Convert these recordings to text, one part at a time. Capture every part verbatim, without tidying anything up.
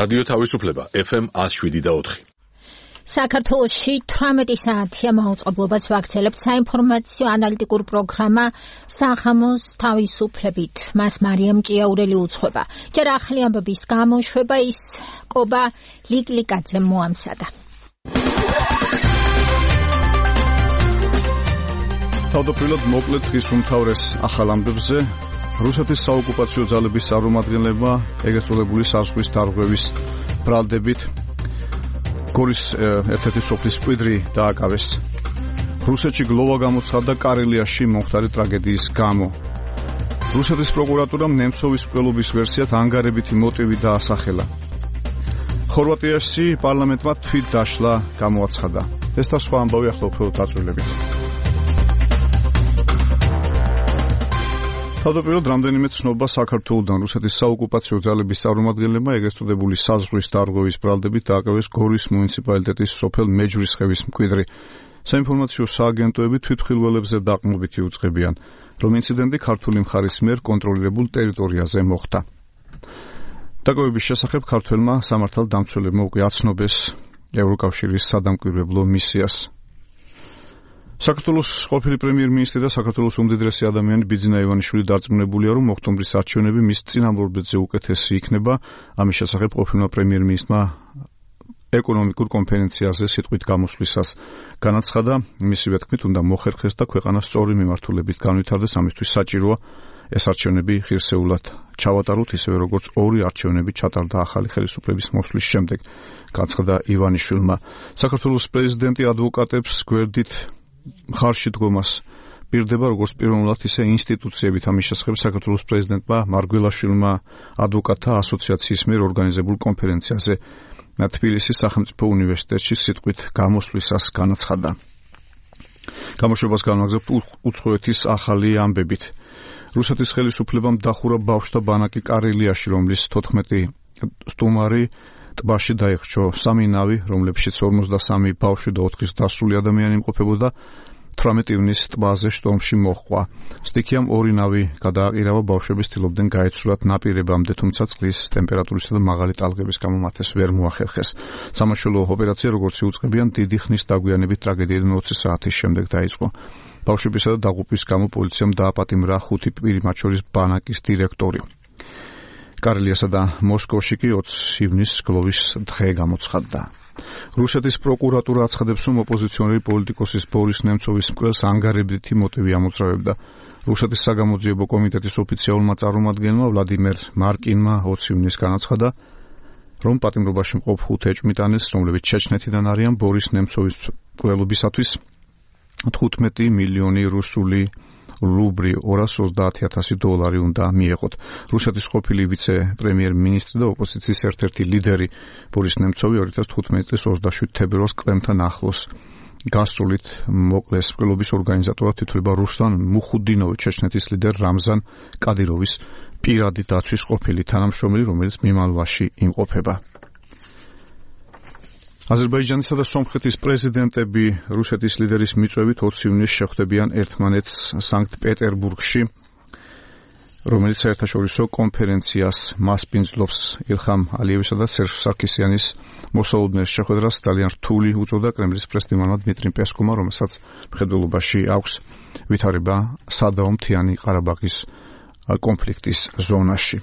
რადიო თავისუფლება ეფ ემ one oh seven point four. საქართველოში თვრამეტი საათია მაუწყებლობას ვაგრძელებთ საინფორმაციო ანალიტიკურ პროგრამა სახამოს თავისუფლებით. მას მარიამ ჭიაურელი უძღვება. ჯერ ახალი ამბების გამოშვება ის კობა ლიკლიკაძემ მოამზადა. თავდაპირველად მოკლედ დღის უმთავრეს ახალ ამბებზე რუსეთის საოკუპაციო ძალების წარმომადგენლებმა ეგრეთ წოდებული საზღვის დარღვევის ბრალდებით გორის ერთ-ერთი სოფლის მკვიდრი დააკავეს. რუსეთში გლოვა გამოცხადდა კარელიაში მომხდარი ტრაგედიის გამო. რუსეთის პროკურატურამ ნემცოვის მკვლელობის ვერსიად ანგარებითი მოტივი დაასახელა. ხორვატიაში პარლამენტმა თვით დაშლა გამოაცხადა. ეს და სხვა ამბავი ახლა უფრო დაწვრილებით. თავდაპირველად რამდენიმე ცნობა საქართველოდან რუსეთის საოკუპაციო ძალების წარმომადგენლებმა ეგრეთ წოდებული საზღვის დარღვევის ბრალდებით დააკავეს გორის მუნიციპალიტეტის სოფელ მეჯვრისხევის მკვიდრი. საინფორმაციო სააგენტოები თვითმხილველებზე დაყრდნობითი უწყებიან, რომ ინციდენტი ქართული მხარის მიერ კონტროლირებულ ტერიტორიაზე მოხდა. დაკავების შესახებ ქართველმა სამართალდამცველებმა უკვე აცნობეს ევროკავშირის სადამკვირვებლო მისიას. საქართველოს ყოფილი პრემიერ-მინისტრი და საქართველოს უმდიდრესი ადამიანი ბიძინა ივანიშვილი დარწმუნებულია, რომ ოქტომბრის არჩევნები მის წინამორბედზე უკეთესი იქნება. ამის შესახებ ყოფილმა პრემიერ-მინისტრმა ეკონომიკურ კონფერენციაზე სიტყვით გამოსვლისას განაცხადა, მისივე თქმით უნდა მოხერხეს და ქვეყანა სწორი მიმართულებით განვითარდეს, ამისთვის საჭიროა ეს არჩევნები ღირსეულად ჩავატაროთ, ისევე როგორც ორი არჩევნები ჩატარდა ახალი ხელისუფლების მოსვლის შემდეგ, განაცხადა ივანიშვილმა. საქართველოს პრეზიდენტი ადვოკატებს გვერდით მხარში დგომას პირდება როგორც პიროვნულად, ისე ინსტიტუციებით. ამის შესახებ საქართველოს პრეზიდენტმა მარგველაშვილმა ადვოკატთა ასოციაციის მიერ ორგანიზებულ კონფერენციაზე თბილისის სახელმწიფო უნივერსიტეტში სიტყვით გამოსვლისას განაცხადა. გამოშვებას განვაგრძობთ უცხოეთის ახალი ამბებით. რუსეთის ხელისუფლებამ დახურა ბავშვთა ბანაკი კარელიაში, რომლის თოთხმეტი სტუმარი ტბაში დაიხჩო. სამი ნავი, რომლებშიც ორმოცდასამი ბავშვი და ოთხი დასული ადამიანი იმყოფებოდა, თვრამეტი ივნისს ტბაზე შტორმში მოჰყვა. სტიქიამ ორი ნავი გადააყირავა, ბავშვები ცდილობდნენ გაეცვლათ ნაპირებამდე, თუმცა წყლის ტემპერატურისა და მაღალი ტალღების გამო მათ ეს ვერ მოახერხეს. სამაშველო ოპერაცია, როგორც იუწყებიან, დიდი ხნის დაგვიანებით ტრაგედიიდან ოცი საათის შემდეგ დაიწყო. ბავშვებისა და დაღუპვის გამო პოლიციამ დააპატიმრა ხუთი პირი, მათ შორის ბანაკის დირექტორი. კარელიასა და მოსკოვში კი ოცი ივნისს გლოვის დღე გამოცხადდა. რუსეთის პროკურატურა აცხადებს, რომ ოპოზიციონერი პოლიტიკოსის ბორის ნემცოვის მკვლელს ანგარებითი მოტივი ამოწრავებდა. რუსეთის საგამოძიებო კომიტეტის ოფიციალურმა წარმომადგენელმა ვლადიმერ მარკინმა ოცი ივნისს განაცხადა, რომ პატიმრობაში მყოფ ხუთ ეჭვმიტანეს, რომლებიც ჩეჩნეთიდან არიან, ბორის ნემცოვის მკვლელობისათვის თხუთმეტი მილიონი რუსული რუბლი ორასი ოცდაათი ათასი დოლარი უნდა მიეღოთ. რუსეთის ყოფილი ვიცე-პრემიერ-მინისტრი და ოპოზიციის ერთ-ერთი ლიდერი ბორის ნემცოვი ორი ათას თხუთმეტი წლის ოცდაშვიდ თებერვალს კრემლთან ახლოს გასწრებით მოკლეს. მკვლელობის ორგანიზატორად ითვლება რუსლან მუხუდინოვი, ჩეჩნეთის ლიდერ რამზან კადიროვის პირადი დაცვის ყოფილი თანამშრომელი, რომელიც მიმალვაში იმყოფება. აზერბაიჯანისა და სომხეთის პრეზიდენტები რუსეთის ლიდერის მიწვევით ოცი ივნისს შეხვდებიან ერთმანეთს სანქტ-პეტერბურგში, რომელიც საერთაშორისო კონფერენციას მასპინძლობს. ილხამ ალიევისა და სერჟ სარქისიანის მოსალოდნელ შეხვედრას ძალიან რთული უწოდა კრემლის პრესდიმონმა დმიტრი პესკოვმა, რომელსაც მხედველობაში აქვს ვითარება სადაო მთიანი ყარაბაღის კონფლიქტის ზონაში.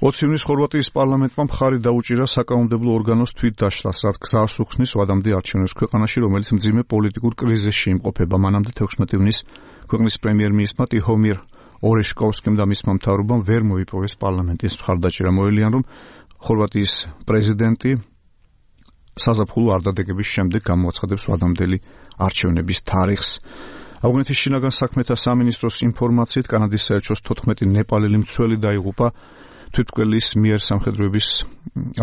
ოცი ივნისს ხორვატიის პარლამენტმა მხარი დაუჭირა საკანონმდებლო ორგანოს თვით დაშლას, რაც გზას უხსნის ვადამდე არჩევნებს ქვეყანაში, რომელიც მძიმე პოლიტიკურ კრიზისში იმყოფება. მანამდე თექვსმეტი ივნისს ქვეყნის პრემიერ-მინისტრმა ტიჰომირ ორეშკოვსკიმ და მისმა მთავრობამ ვერ მოიპოვეს პარლამენტის მხარდაჭერა. მოელიან, რომ ხორვატიის პრეზიდენტი საზაფხულო არდადეგების შემდეგ გამოაცხადებს ვადამდელი არჩევნების თარიღს. ავღანეთის შინაგან საქმეთა სამინისტროს ინფორმაციით კანადის საელჩოს თოთხმეტი ნეპალელი მცველი დაიღუპა თვითმკვლელის მიერ სამხედროების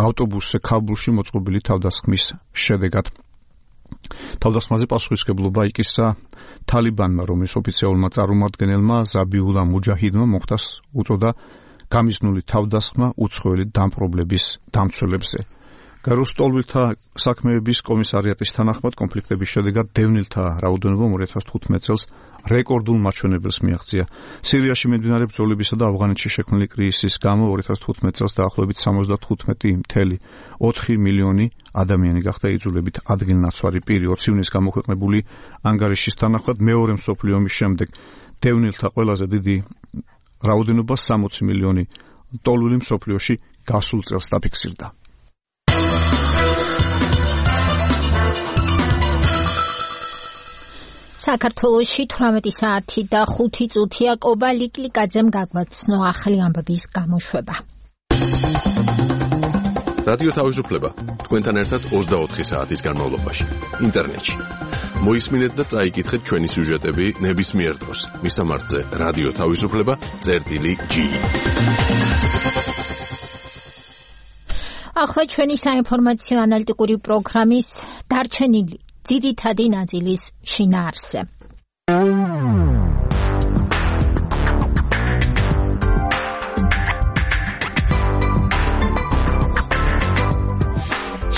ავტობუსზე ქაბულში მოწყობილი თავდასხმის შედეგად. თავდასხმაზე პასუხისმგებლობა იკისრა თალიბანმა, რომლის ოფიციალურმა წარმომადგენელმა ზაბიულა მუჯაჰიდმა მოხდას უწოდა გამიზნული თავდასხმა უცხოელი დამპყრობლების დამცველებზე. გარკვეულ სტოლვილთა საქმეების კომისარიატის თანახმად კონფლიქტების შედეგად დევნილთა რაოდენობამ ორი ათას თხუთმეტ წელს რეკორდულ მაჩვენებელს მიაღწია. სირიაში მიმდინარე ბრძოლებისა და ავღანეთში შექმნილი კრიზისის გამო ორი ათას თხუთმეტ წელს დაახლოებით სამოცდათხუთმეტი მთელი ოთხი მილიონი ადამიანი გახდა იძულებით ადგილნაცვარი პირი. ოც ივნის გამოქვეყნებული ანგარიშის თანახმად მეორე მსოფლიო ომის შემდეგ დევნილთა ყველაზე დიდი რაოდენობა სამოცი მილიონი ტოლული მსოფლიოში გასულ წელს დაფიქსირდა. საქართველოში თვრამეტი საათი და ხუთი წუთია. კობა ლიკლიკაძემ გაგვაცნო ახალი ამბების გამოშვება. რადიო თავისუფლება თქვენთან ერთად ოცდაოთხი საათის განმავლობაში ინტერნეტში. მოისმინეთ და წაიკითხეთ ჩვენი სიუჟეტები ნებისმიერ დროს. მისამართზე რადიო თავისუფლება წერტილი ჯი. ახლა ჩვენი საინფორმაციო ანალიტიკური პროგრამის დარჩენილი ძირითადი ნაწილის შინაარსზე.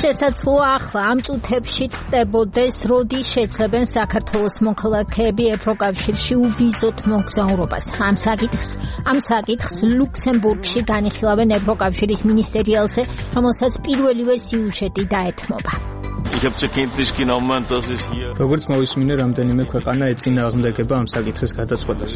შესაძლოა ახლა ამ წუთებში ხდებოდეს, როდის შეძლებენ საქართველოს მოქალაქეები ევროკავშირში უვიზოთ მოგზაურობას. ამ საკითხს, ამ საკითხს ლუქსემბურგში განიხილავენ ევროკავშირის მინისტერიალზე, რომელსაც პირველივე სიუჟეტი დაეთმობა. როგორც მოვისმინე, რამდენიმე ქვეყანა ეწინააღმდეგება ამ საკითხის გადაწყვეტას.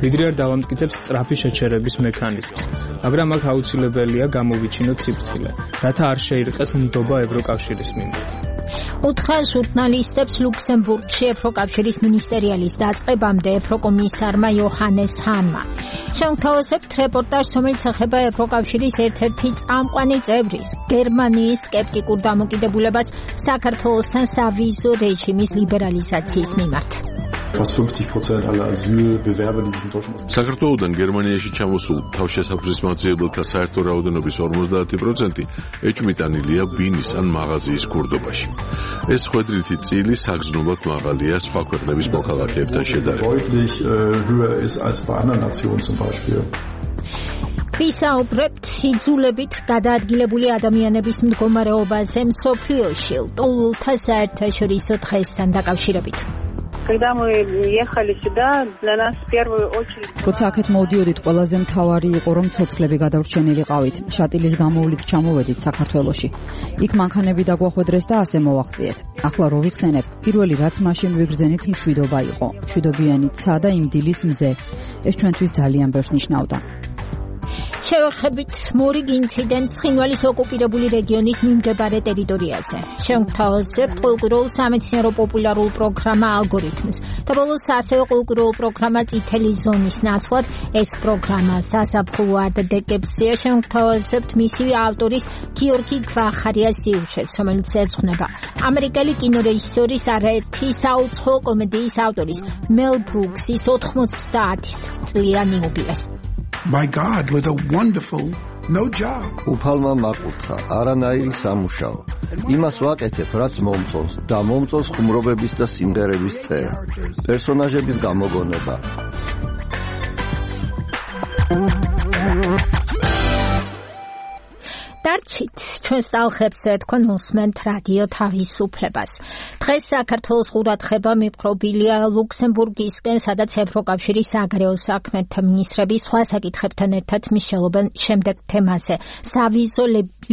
ვიდრე არ დავამტკიცებს სწრაფი შეჩერების მექანიზმს, მაგრამ აქ აუცილებელია გამოვიჩინოთ სიფრთხილე, რათა არ შეირყეს ნდობა ევროკავშირის მიმართ. უთხრა ჟურნალისტებს ლუქსემბურგში ევროკავშირის მინისტერიალის დაწყებამდე ევროკომისარმა იოჰანეს ჰანმა. შევთავაზებთ რეპორტაჟს, რომელიც ეხება ევროკავშირის ერთ-ერთი წამყვანი წევრის, გერმანიის სკეპტიკურ დამოკიდებულებას საქართველოსთან სავიზო რეჟიმის ლიბერალიზაციის მიმართ. საქართველოდან გერმანიაში ჩამოსულ თავშესაფრის მათგებელთა საერთო რაოდენობის ორმოცდაათი პროცენტი ეჭვმიტანილია ბინის ან მაღაზიის ქურდობაში. ეს ხვედრითი წილი საგრძნობლად მაღალია სხვა ქვეყნების მოქალაქეებთან შედარებით. ვისაუბრებთ იძულებით გადაადგილებული ადამიანების მდგომარეობაზე მსოფლიოში ლტოლვილთა საერთაშორისო დღესთან დაკავშირებით. Когда мы ехали сюда, для нас в первую очередь როცა აქეთ მოვდიოდით, ყველაზე მთავარი იყო, რომ ცოცხლები გადავრჩენილიყავით. შატილის გამოვლით ჩამოვედით საქართველოში. იქ მანქანები დაგვახვედრეს და ასე მოვაღწიეთ. ახლა რო ვიხსენებ, პირველი რაც მაშინ ვიგრძენით მშვიდობა იყო. მშვიდობიანი ცა და იმ დილის მზე. ეს ჩვენთვის ძალიან ბევრს ნიშნავდა. შევეხებით მორიგ ინციდენტს ცხინვალის ოკუპირებული რეგიონის მიმდებარე ტერიტორიაზე. შევთავაზებთ კულტურულ სამეცნიერო პოპულარულ პროგრამა ალგორითმს და ბოლოს ასევე კულტურულ პროგრამა წითელი ზონის ნაცვლად. ეს პროგრამა საზაფხულო არდადეგებზეა. შევთავაზებთ მისივე ავტორის გიორგი გვახარიას სიუჟეტს, რომელიც ეძღვნება ამერიკელი კინორეჟისორის არაერთი საუცხო კომედიის ავტორის მელ ბრუქსის ოთხმოცდაათი წლიანი იუბილეს. By God, with a wonderful no job. უფალმა მაკურთხა, არანაირი სამუშაო. იმას ვაკეთებ, რაც მომწონს და მომწონს ხუმრობების და სიმღერების წერა. პერსონაჟების გამოგონება. დარჩით ჩვენს ტალღებზე თქვენ უსმენთ რადიო თავისუფლებას. დღეს საქართველოს ყურადღება მიპყრობილია ლუქსემბურგისკენ, სადაც ევროკავშირის საგარეო საქმეთა მინისტრები სხვა საკითხებთან ერთად მიშელობენ შემდეგ თემაზე: სავიზო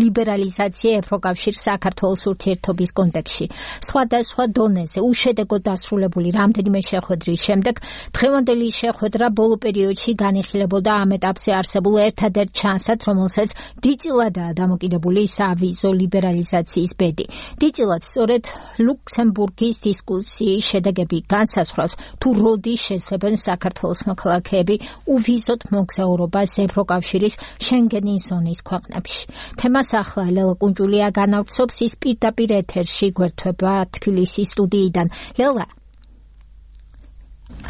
ლიბერალიზაცია ევროკავშირს საქართველოს ურთიერთობის კონტექსტში. სხვადასხვა დონეზე უშედეგოდ დასრულებული რამდენიმე შეხვედრის შემდეგ დღევანდელი შეხვედრა ბოლო პერიოდში განიხილებოდა ამ ეტაპზე არსებულ ერთადერთ ჩანსად, რომელსაც დიდწილადაა დამოკიდებული სავიზო ლიბერალიზაციის ბედი. დიდწილად სწორედ ლუქსემბურგის დისკუსიის შედეგები განსაზღვრავს, თუ როდის შეძლებენ საქართველოს მოქალაქეები უვიზოთ მოგზაურობას ევროკავშირის შენგენის ზონის ქვეყნებში. თემას ახლა ლელა კუნჭულია განავრცობს, ის პირდაპირ ეთერში გვერდება თბილისის სტუდიიდან. ლელა,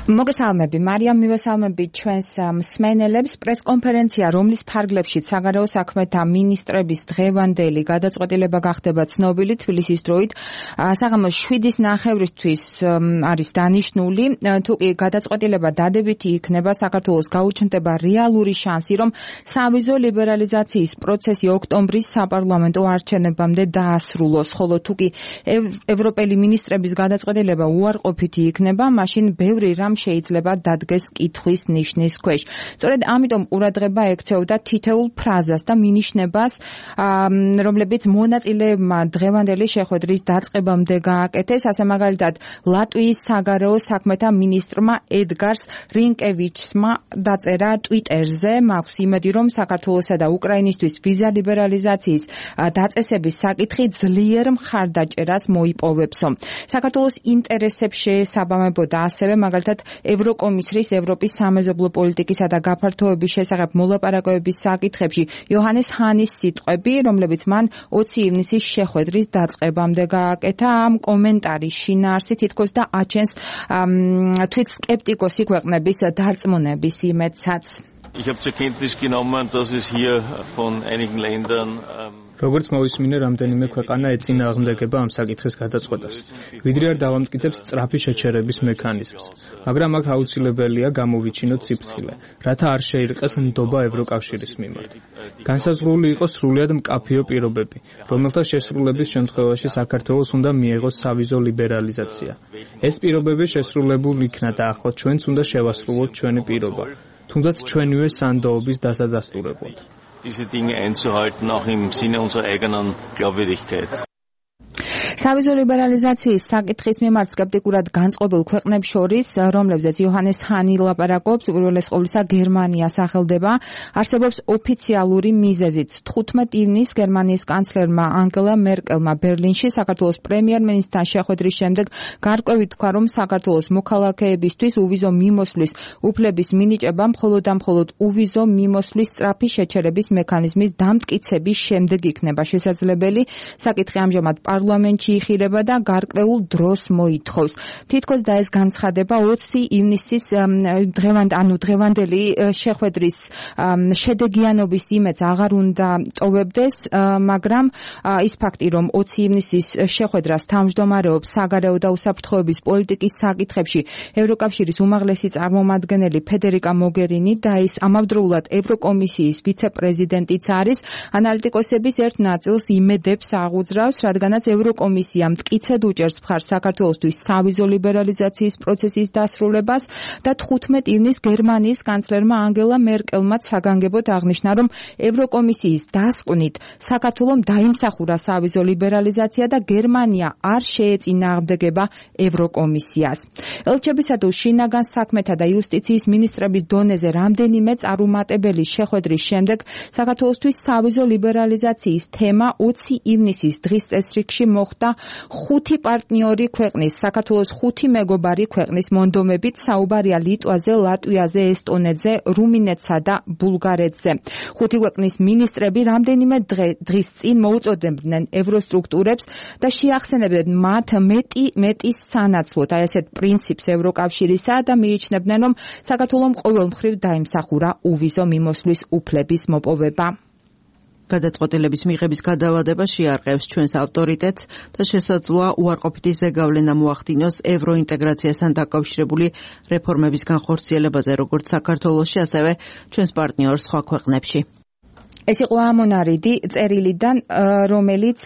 მოგესალმები, მარიამ, მივესალმები ჩვენს მსმენელებს. პრესკონფერენცია, რომლის ფარგლებშიც საგარეო საქმეთა მინისტრების დღევანდელი გადაწყვეტილება გახდება ცნობილი თბილისის დროით. საღამოს შვიდის ნახევრისთვის არის დანიშნული. თუ კი გადაწყვეტილება დადებითი იქნება, საქართველოს გაუჩნდება რეალური შანსი, რომ სავიზო ლიბერალიზაციის პროცესი ოქტომბრის საპარლამენტო არჩევნებამდე დაასრულოს. ხოლო თუ კი ევროპელი მინისტრების გადაწყვეტილება უარყოფითი იქნება, მაშინ ბევრი რამ შეიძლება დადგეს კითხვის ნიშნის ქვეშ. სწორედ ამიტომ ყურადღება ექცეოდა თითოეულ ფრაზას და მინიშნებას, რომლებიც მონაწილეებმა დღევანდელი შეხვედრის დაწყებამდე გააკეთეს. ასე მაგალითად, ლატვიის საგარეო საქმეთა მინისტრმა ედგარს რინკევიჩმა დაწერა ტვიტერზე, მაქვს იმედი, რომ საქართველოსა და უკრაინისთვის ვიზა ლიბერალიზაციის დაწესების საკითხი ძლიერ მხარდაჭერას მოიპოვებსო. საქართველოს ინტერესებს შეესაბამებოდა ასევე მაგალითად ევროკომისრის ევროპის სამეზობლო პოლიტიკისა და გაფართოების შესახებ მოლაპარაკებების საკითხებში იოჰანეს ჰანის სიტყვები, რომლებიც მან ოცი ივნისის შეხვედრის დაწყებამდე გააკეთა. ამ კომენტარის შინაარსი თითქოს და აჩენს თვით სკეპტიკოსი ქვეყნების დარწმუნების იმედსაც. Ich habe zur Kenntnis genommen, dass es hier von einigen Ländern როგორც მოვისმინე, რამდენიმე ქვეყანა ეწინააღმდეგება ამ საკითხის გადაწყვეტას. ვიდრე არ დავამტკიცებს სწრაფი შეჩერების მექანიზმს, მაგრამ აქ აუცილებელია გამოვიჩინოთ სიფრთხილე, რათა არ შეირყეს ნდობა ევროკავშირის მიმართ. განსაზღვრული იყოს სრულიად მკაფიო პირობები, რომელთა შესრულების შემთხვევაში საქართველოს უნდა მიეღოს სავიზო ლიბერალიზაცია. ეს პირობები შესრულებულ იქნა და ახლა ჩვენც უნდა შევასრულოთ ჩვენი პირობა, თუნდაც ჩვენივე სანდოობის დასადასტურებლად. diese Dinge einzuhalten, auch im Sinne unserer eigenen Glaubwürdigkeit. სავიზო ლიბერალიზაციის საკითხის მიმართ სკეპტიკურად განწყობილ ქვეყნებს შორის, რომლებზეც იოჰანეს ჰანი ლაპარაკობს, უპირველეს ყოვლისა გერმანია სახელდება, არსებობს ოფიციალური მიზეზიც. თხუთმეტ ივნისს გერმანიის კანცლერმა ანგელა მერკელმა ბერლინში საქართველოს პრემიერ-მინისტრთან შეხვედრის შემდეგ გარკვევით თქვა, რომ საქართველოს მოქალაქეებისთვის უვიზო მიმოსვლის უფლების მინიჭება მხოლოდ და მხოლოდ უვიზო მიმოსვლის სწრაფი შეჩერების მექანიზმის დამტკიცების შემდეგ იქნება შესაძლებელი. საკითხი ამჟამად პარლამენტში იხილება და გარკვეულ დროს მოითხოვს. თითქოს და ეს განცხადება ოცი ივნისის დღევანდ ანუ დღევანდელი შეხვედრის შედეგიანობის იმედს აღარ უნდა ტოვებდეს, მაგრამ ის ფაქტი, რომ ოცი ივნისის შეხვედრას თავმჯდომარეობს საგარეო და უსაფრთხოების პოლიტიკის საკითხებში ევროკავშირის უმაღლესი წარმომადგენელი ფედერიკა მოგერინი და ის ამავდროულად ევროკომისიის ვიცე-პრეზიდენტიც არის, ანალიტიკოსების ერთ ნაწილს იმედებს აღუძრავს, რადგანაც ევროკომისია მტკიცედ უჭერს მხარს საქართველოსთვის სავიზო ლიბერალიზაციის პროცესის დასრულებას და თხუთმეტ ივნისს გერმანიის კანცლერმა ანგელა მერკელმაც საგანგებოდ აღნიშნა, რომ ევროკომისიის დასკვნით საქართველომ დაიმსახურა სავიზო ლიბერალიზაცია და გერმანია არ შეეწინააღმდეგება ევროკომისიას. ელჩებისა თუ შინაგან საქმეთა და იუსტიციის მინისტრების დონეზე რამდენიმე წარუმატებელი შეხვედრის შემდეგ საქართველოსთვის სავიზო ლიბერალიზაციის თემა ოცი ივნისის დღის წესრიგში მოხდა ხუთი პარტნიორი ქვეყნის, საქართველოს ხუთი მეგობარი ქვეყნის მონდომებით, საუბარია ლიტვაზე, ლატვიაზე, ესტონეთზე, რუმინეთსა და ბულგარეთზე. ხუთი ქვეყნის მინისტრები რამდენიმე დღის წინ მოუწოდებდნენ ევროსტრუქტურებს და შეახსენებდნენ მათ მეტი მეტის სანაცვლოდ, აი ესეთ პრინციპს ევროკავშირისა და მიიჩნევდნენ, რომ საქართველომ ყოველ მხრივ დაიმსახურა უვიზო მიმოსვლის უფლების მოპოვება. გადაწყვეტილების მიღების გადავადება შეარყევს ჩვენს ავტორიტეტს და შესაძლოა უარყოფითი ზეგავლენა მოახდინოს ევროინტეგრაციასთან დაკავშირებული რეფორმების განხორციელებაზე, როგორც საქართველოში, ასევე ჩვენს პარტნიორ სხვა ქვეყნებში. ეს იყო ამონარიდი წერილიდან, რომელიც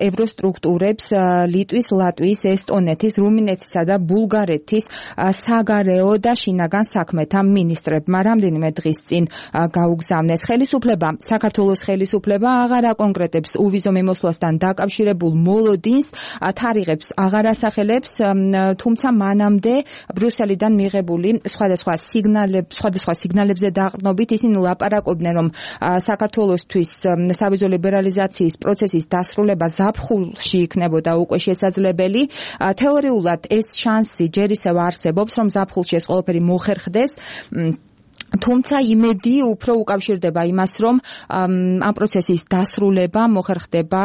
ევროსტრუქტურებს ლიტვის, ლატვიის, ესტონეთის, რუმინეთისა და ბულგარეთის საგარეო და შინაგან საქმეთა მინისტრებმა რამდენიმე დღის წინ გაუგზავნეს. ხელისუფლება, საქართველოს ხელისუფლება აღარ აკონკრეტებს უვიზო მიმოსვლასთან დაკავშირებულ მოლოდინს, თარიღებს აღარ ასახელებს, თუმცა მანამდე ბრიუსელიდან მიღებული სხვადასხვა სიგნალებ, სხვადასხვა სიგნალებზე დაყრდნობით ისინი ლაპარაკობდნენ, რომ საქართველოს სავიზო ლიბერალიზაციის პროცესის დასრულება ზაფხულში იქნებოდა უკვე შესაძლებელი. თეორიულად ეს შანსი ჯერ ისევ არსებობს, რომ ზაფხულში ეს ყველაფერი მოხერხდეს. თუმცა იმედი უფრო უკავშირდება იმას, რომ ამ პროცესის დასრულება მოხერხდება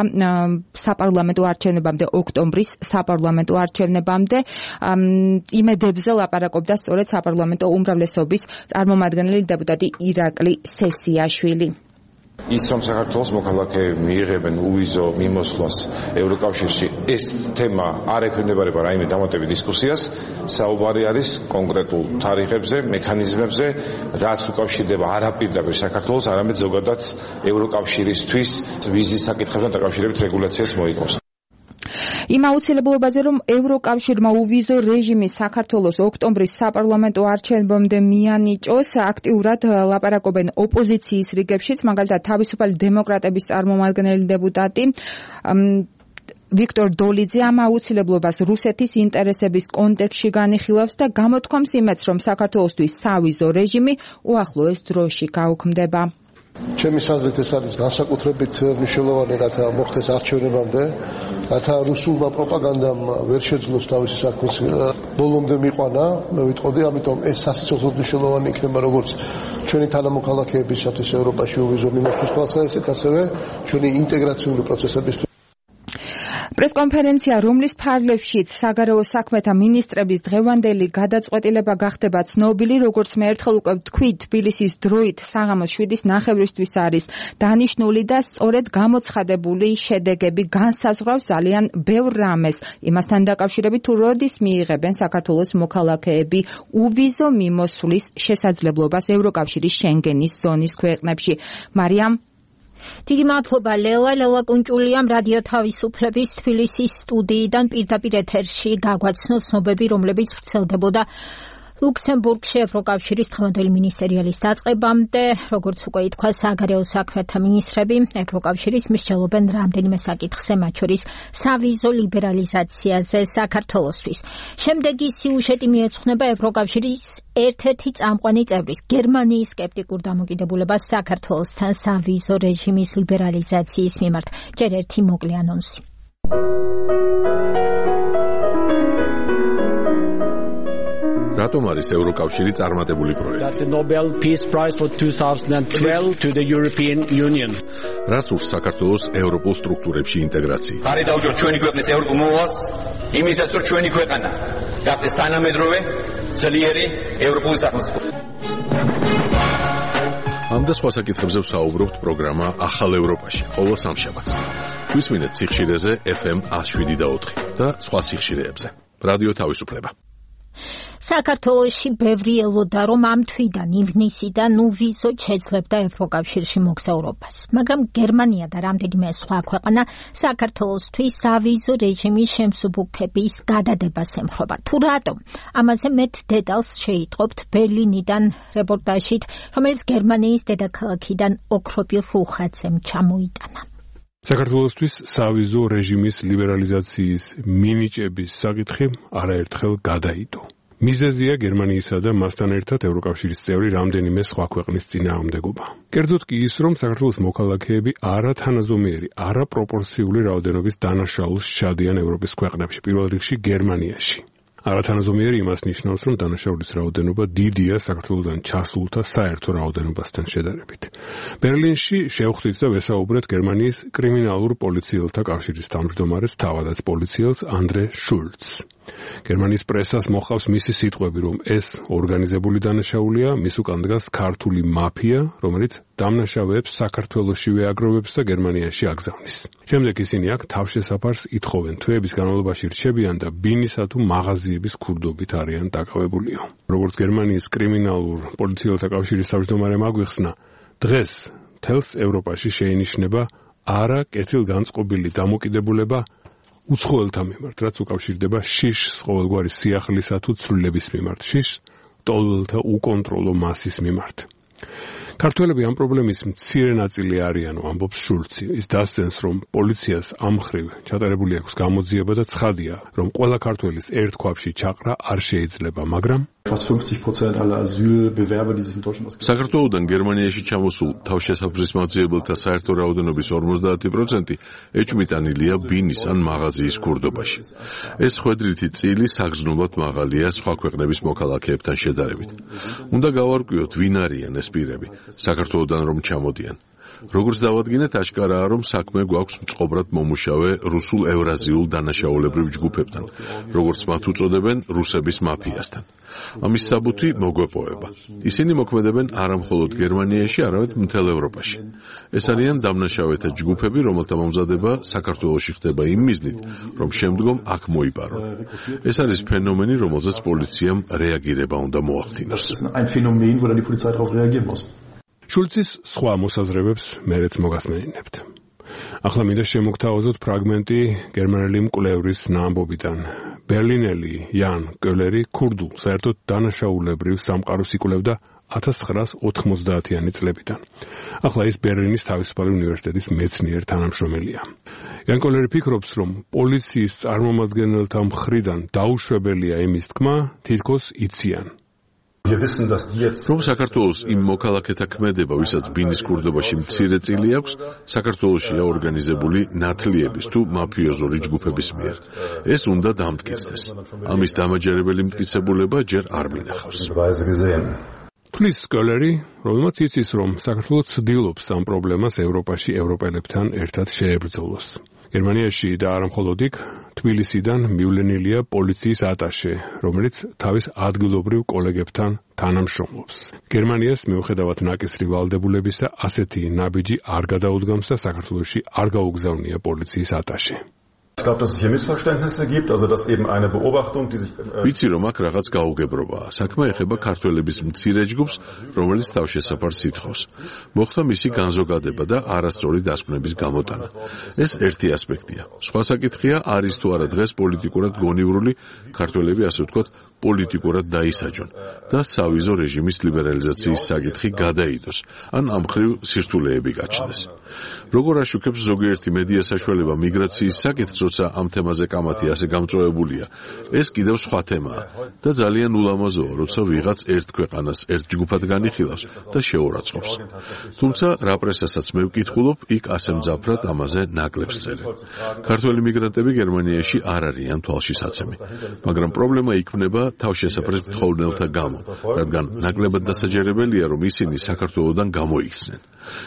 საპარლამენტო არჩევნებამდე, ოქტომბრის საპარლამენტო არჩევნებამდე. იმედებზე ლაპარაკობდა სწორედ საპარლამენტო უმრავლესობის წარმომადგენელი დეპუტატი ირაკლი სესიაშვილი. ის რომ საქართველოს მოქალაქეები მიიღებენ უვიზო მიმოსვლას ევროკავშირში, ეს თემა არ ექვემდებარება რაიმე დამატებითი დისკუსიას, საუბარი არის კონკრეტულ თარიღებზე, მექანიზმებზე, რაც უკავშირდება არაპირდაპირ საქართველოს, არამედ ზოგადად ევროკავშირისთვის ვიზის საკითხებთან დაკავშირებით რეგულაციას მოიგონს. იმ აუცილებლობაზე, რომ ევროკავშირმა უვიზო რეჟიმი საქართველოს ოქტომბრის საპარლამენტო არჩევნებამდე მიანიჭოს, აქტიურად ლაპარაკობენ ოპოზიციის რიგებშიც, მაგალითად თავისუფალი დემოკრატების წარმომადგენელი დეპუტატი ვიქტორ დოლიძე ამ აუცილებლობას რუსეთის ინტერესების კონტექსტში განიხილავს და გამოთქვამს იმედს, რომ საქართველოსთვის სავიზო რეჟიმი უახლოეს დროში გაუქმდება. ჩემი აზრით ეს არის განსაკუთრებით მნიშვნელოვანი, რათა მოხდეს არჩევნებამდე, რათა რუსულმა პროპაგანდამ ვერ შეძლოს თავისი საქმის ბოლომდე მიყვანა, მე ვიტყოდი, ამიტომ ეს სასიცოცხლოდ მნიშვნელოვანი იქნება როგორც ჩვენი თანამოქალაქეებისათვის ევროპაში უვიზო მიმოსვლის თვალსაზრისით, ასევე ჩვენი ინტეგრაციული პროცესებისთვის. პრესკონფერენცია, რომლის ფარგლებშიც საგარეო საქმეთა მინისტრების დღევანდელი გადაწყვეტილება გახდება ცნობილი, როგორც მე ერთხელ უკვე ვთქვით, თბილისის დროით საღამოს შვიდის ნახევრისთვის არის დანიშნული და სწორედ გამოცხადებული შედეგები განსაზღვრავს ძალიან ბევრ რამეს. იმასთან დაკავშირებით, თუ როდის მიიღებენ საქართველოს მოქალაქეები უვიზო მიმოსვლის შესაძლებლობას ევროკავშირის შენგენის ზონის ქვეყნებში. მარიამ დიდი მადლობა ლელა ლელა კუნჭულიამ რადიო თავისუფლების თბილისის სტუდიიდან პირდაპირ ეთერში გაგვაცნო ცნობები, რომლებიც ვრცელდებოდა ლუქსემბურგში ევროკავშირის დღევანდელი მინისტრიალის დაწყებამდე. როგორც უკვე ითქვა, საგარეო საქმეთა მინისტრები ევროკავშირის მსჯელობენ რამდენიმე საკითხზე, მათ შორის სავიზო ლიბერალიზაციაზე საქართველოსთვის. შემდეგი სიუჟეტი მიეძღვნება ევროკავშირის ერთ-ერთი წამყვანი წევრის გერმანიის სკეპტიკურ დამოკიდებულებას საქართველოსთან სავიზო რეჟიმის ლიბერალიზაციის მიმართ. ჯერ ერთი მოკლე ანონსი. რატომ არის ევროკავშირი წარმატებული პროექტი? Nobel Peace Prize for twenty twelve to the European Union. რას ურს საქართველოს ევროპულ სტრუქტურებში ინტეგრაცია? ხარი დაუჯეროთ ჩვენი ქვეყნის ევროპულ მოვალს, იმისაც რომ ჩვენი ქვეყანა გახდეს თანამედროვე, ძლიერი ევროპული სახელმწიფო. ამ და სხვა საკითხებზე ვსაუბრობთ პროგრამა ახალ ევროპაში, ყოველ სამშაბათს. გვისმინეთ სიხშირეზე ეფ ემ one oh seven და ოთხი და სხვა სიხშირეებზე. რადიო თავისუფლება. საქართველოში ბევრი ელოდა, რომ ამ თვიდან ივნისიდან უვიზოდ შეძლებდა ევროკავშირში მოგზაურობას, მაგრამ გერმანია და რამდენიმე სხვა ქვეყანა საქართველოსთვის სავიზო რეჟიმის შემსუბუქების გადადებას ემხრობა. თუ რატომ? ამაზე მეტ დეტალს შეიტყობთ ბერლინიდან რეპორტაჟით, რომელიც გერმანიის დედაქალაქიდან ოქროპირ რუხაძემ ჩამოიტანა. საქართველოსთვის სავიზო რეჟიმის ლიბერალიზაციის მინიჭების საკითხი არაერთხელ გადაიდო. მიზეზია გერმანიისა და მასთან ერთად ევროკავშირის წევრი რამდენიმე სხვა ქვეყნის წინააღმდეგობა. კერძოდ კი ის, რომ საქართველოს მოქალაქეები არათანაზომიერი, არაპროპორციული რაოდენობის დანაშაულს სჩადიან ევროპის ქვეყნებში, პირველ რიგში გერმანიაში. არათანაზომიერი იმას ნიშნავს, რომ დანაშაულის რაოდენობა დიდია საქართველოსთან ჩასულთა საერთო რაოდენობასთან შედარებით. ბერლინში შევხვდით და ვესაუბრეთ გერმანიის კრიმინალურ პოლიციელთა კავშირის თავმჯდომარეს, თავადაც პოლიციელს ანდრე შულცს. გერმანიის პრესას მოჰყავს მისი სიტყვები, რომ ეს ორგანიზებული დანაშაულია, მის უკან დგას ქართული მაფია, რომელიც დამნაშავეებს საქართველოსშივე აგროვებს და გერმანიაში აგზავნის. შემდეგ ისინი აქ თავშესაფარს ითხოვენ, თვეების განმავლობაში რჩებიან და ბინისა თუ მაღაზიების ქურდობით არიან დაკავებულიო. როგორც გერმანიის კრიმინალურ პოლიციელთა კავშირის თავმჯდომარემ აგვიხსნა, დღეს მთელს ევროპაში შეინიშნება არა კეთილგანწყობილი დამოკიდებულება უცხოელთა მიმართ, რაც უკავშირდება შიშს ყოველგვარი სიახლისა თუ ცვლილების მიმართ, შიშს ტოლველთა უკონტროლო მასის მიმართ. ქართველები ამ პრობლემის მცირე ნაწილი არიანო, ამბობს შულცი. ის დასცენს, რომ პოლიციას ამ მხრივ ჩატარებული აქვს გამოძიება და ცხადია, რომ ყველა ქართველის ერთ ქვაბში ჩაყრა არ შეიძლება, მაგრამ საქართველოდან გერმანიაში ჩამოსულ თავშესაფრისმოძიებელთა საერთო რაოდენობის ორმოცდაათი პროცენტი ეჭვმიტანილია ბინის ან მაღაზიის ქურდობაში. ეს ხვედრითი წილი საგრძნობლად მაღალია სხვა ქვეყნების მოქალაქეებთან შედარებით. უნდა გავარკვიოთ, ვინ არიან ეს პირები, საქართველოდან რომ ჩამოდიან. როგორც დავადგინეთ, აშკარაა, რომ საქმე გვაქვს მწყობრად მომუშავე რუსულ ევრაზიულ დანაშაულებრივ ჯგუფებთან, როგორც მათ უწოდებენ, რუსების მაფიასთან. ამის საბუთი მოგვეპოვება. ისინი მოქმედებენ არა მხოლოდ გერმანიაში, არამედ მთელ ევროპაში. ეს არიან დამნაშავეთა ჯგუფები, რომელთა მომზადება საქართველოში ხდება იმ მიზნით, რომ შემდგომ აქ მოიპარონ. ეს არის ფენომენი, რომელზეც პოლიციამ რეაგირება უნდა მოახდინოს. შულცის სხვა მოსაზრებებს მერეც მოგასმენინებთ. ახლა მინდა შემოგთავაზოთ ფრაგმენტი გერმანელი მკვლევრის ნაამბობიდან. ბერლინელი იან კოლერი ქურდულ საერთოდ დანაშაულებრივ სამყაროს იკვლევდა ათას ცხრაას ოთხმოცდაათიანი წლებიდან. ახლა ის ბერლინის თავისუფალი უნივერსიტეტის მეცნიერ თანამშრომელია. იან კოლერი ფიქრობს, რომ პოლიციის წარმომადგენელთა მხრიდან დაუშვებელია იმის თქმა, თითქოს იციან. რომ საქართველოს იმ მოქალაქეთა ქმედება, ვისაც ბინის ქურდობაში მცირე წილი აქვს, საქართველოშია ორგანიზებული ნათლიების თუ მაფიოზური ჯგუფების მიერ. ეს უნდა დამტკიცდეს. ამის დამაჯერებელი მტკიცებულება ჯერ არ მინახავს. თulis კოლერი, რომელმაც იცის, რომ საქართველო ცდილობს ამ პრობლემას ევროპაში ევროპელებთან ერთად შეებრძოლოს. გერმანიაში და არა მხოლოდ იქ, თბილისიდან მივლენილია პოლიციის ატაშე, რომელიც თავის ადგილობრივ კოლეგებთან თანამშრომლობს. გერმანიას მიუხედავად ნაკისრი ვალდებულებისა, ასეთი ნაბიჯი არ გადაუდგამს და საქართველოში არ გაუგზავნია პოლიციის ატაშე. ვიცი, რომ აქ რაღაც გაუგებრობაა. საქმე ეხება ქართველების მცირე ჯგუფს, რომელიც თავშესაფარს ითხოვს. მოხდა მისი განზოგადება და არასწორი დასკვნების გამოტანა. ეს ერთი ასპექტია. სხვა საკითხია, არის თუ არა დღეს პოლიტიკურად გონივრული ქართველები, ასე ვთქვათ, პოლიტიკურად დაისაჯონ და სავიზო რეჟიმის ლიბერალიზაციის საკითხი გადაიდოს, ან ამ მხრივ სირთულეები გაჩნდეს. როგორ აშუქებს ზოგიერთი მედია საშუალება მიგრაციის საკითხს, როცა ამ თემაზე კამათი ასე გამწვავებულია, ეს კიდევ სხვა თემაა და ძალიან ულამაზოა, როცა ვიღაც ერთ ქვეყანას ერთ ჯგუფად განიხილავს და შეურაცხყოფს. თუმცა რა პრესასაც მე ვკითხულობ, იქ ასე მძაფრად ამაზე ნაკლებს წერენ. ქართველი მიგრანტები გერმანიაში არ არიან თვალშისაცემი, მაგრამ პრობლემა იქმნება თავშესაფრის მთხოვნელთა გამო, რადგან ნაკლებად დასაჯერებელია, რომ ისინი საქართველოდან გამოიქცნენ.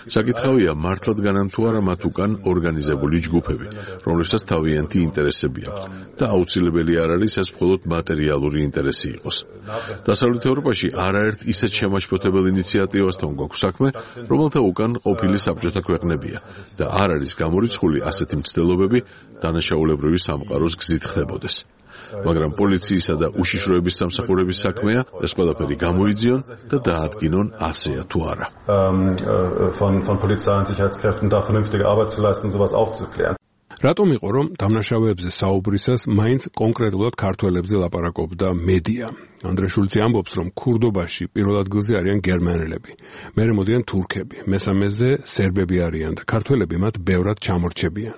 საკითხავია, მართლად განან თუ არა მათ უკან ორგანიზებული ჯგუფები, რომლებსაც თავიანთი ინტერესები აქვთ და აუცილებელი არ არის ეს მხოლოდ მატერიალური ინტერესი იყოს. დასავლეთ ევროპაში არაერთ ისეთ შემაშფოთებელ ინიციატივასთან გვაქვს საქმე, რომელთა უკან ყოფილი საბჭოთა ქვეყნებია და არ არის გამორიცხული ასეთი მცდელობები დანაშაულებრივი სამყაროს გზით ხდებოდეს. მაგრამ პოლიციისა და უშიშროების სამსახურების საქმეა ეს ყველაფერი გამოიძიონ და დაადგინონ ასეა თუ არა. von von Polizei und Sicherheitskräften da vernünftige Arbeit zu leisten, sowas aufzuklären. რატომ იყო, რომ დამნაშავეებზე საუბრისას მაინც კონკრეტულად ქართველებზე ლაპარაკობდა მედია? ანდრე შულცი ამბობს, რომ ქურდობაში პირველ ადგილზე არიან გერმანელები, მერე მოდიან თურქები, მესამეზე სერბები არიან და ქართველები მათ ბევრად ჩამორჩებიან.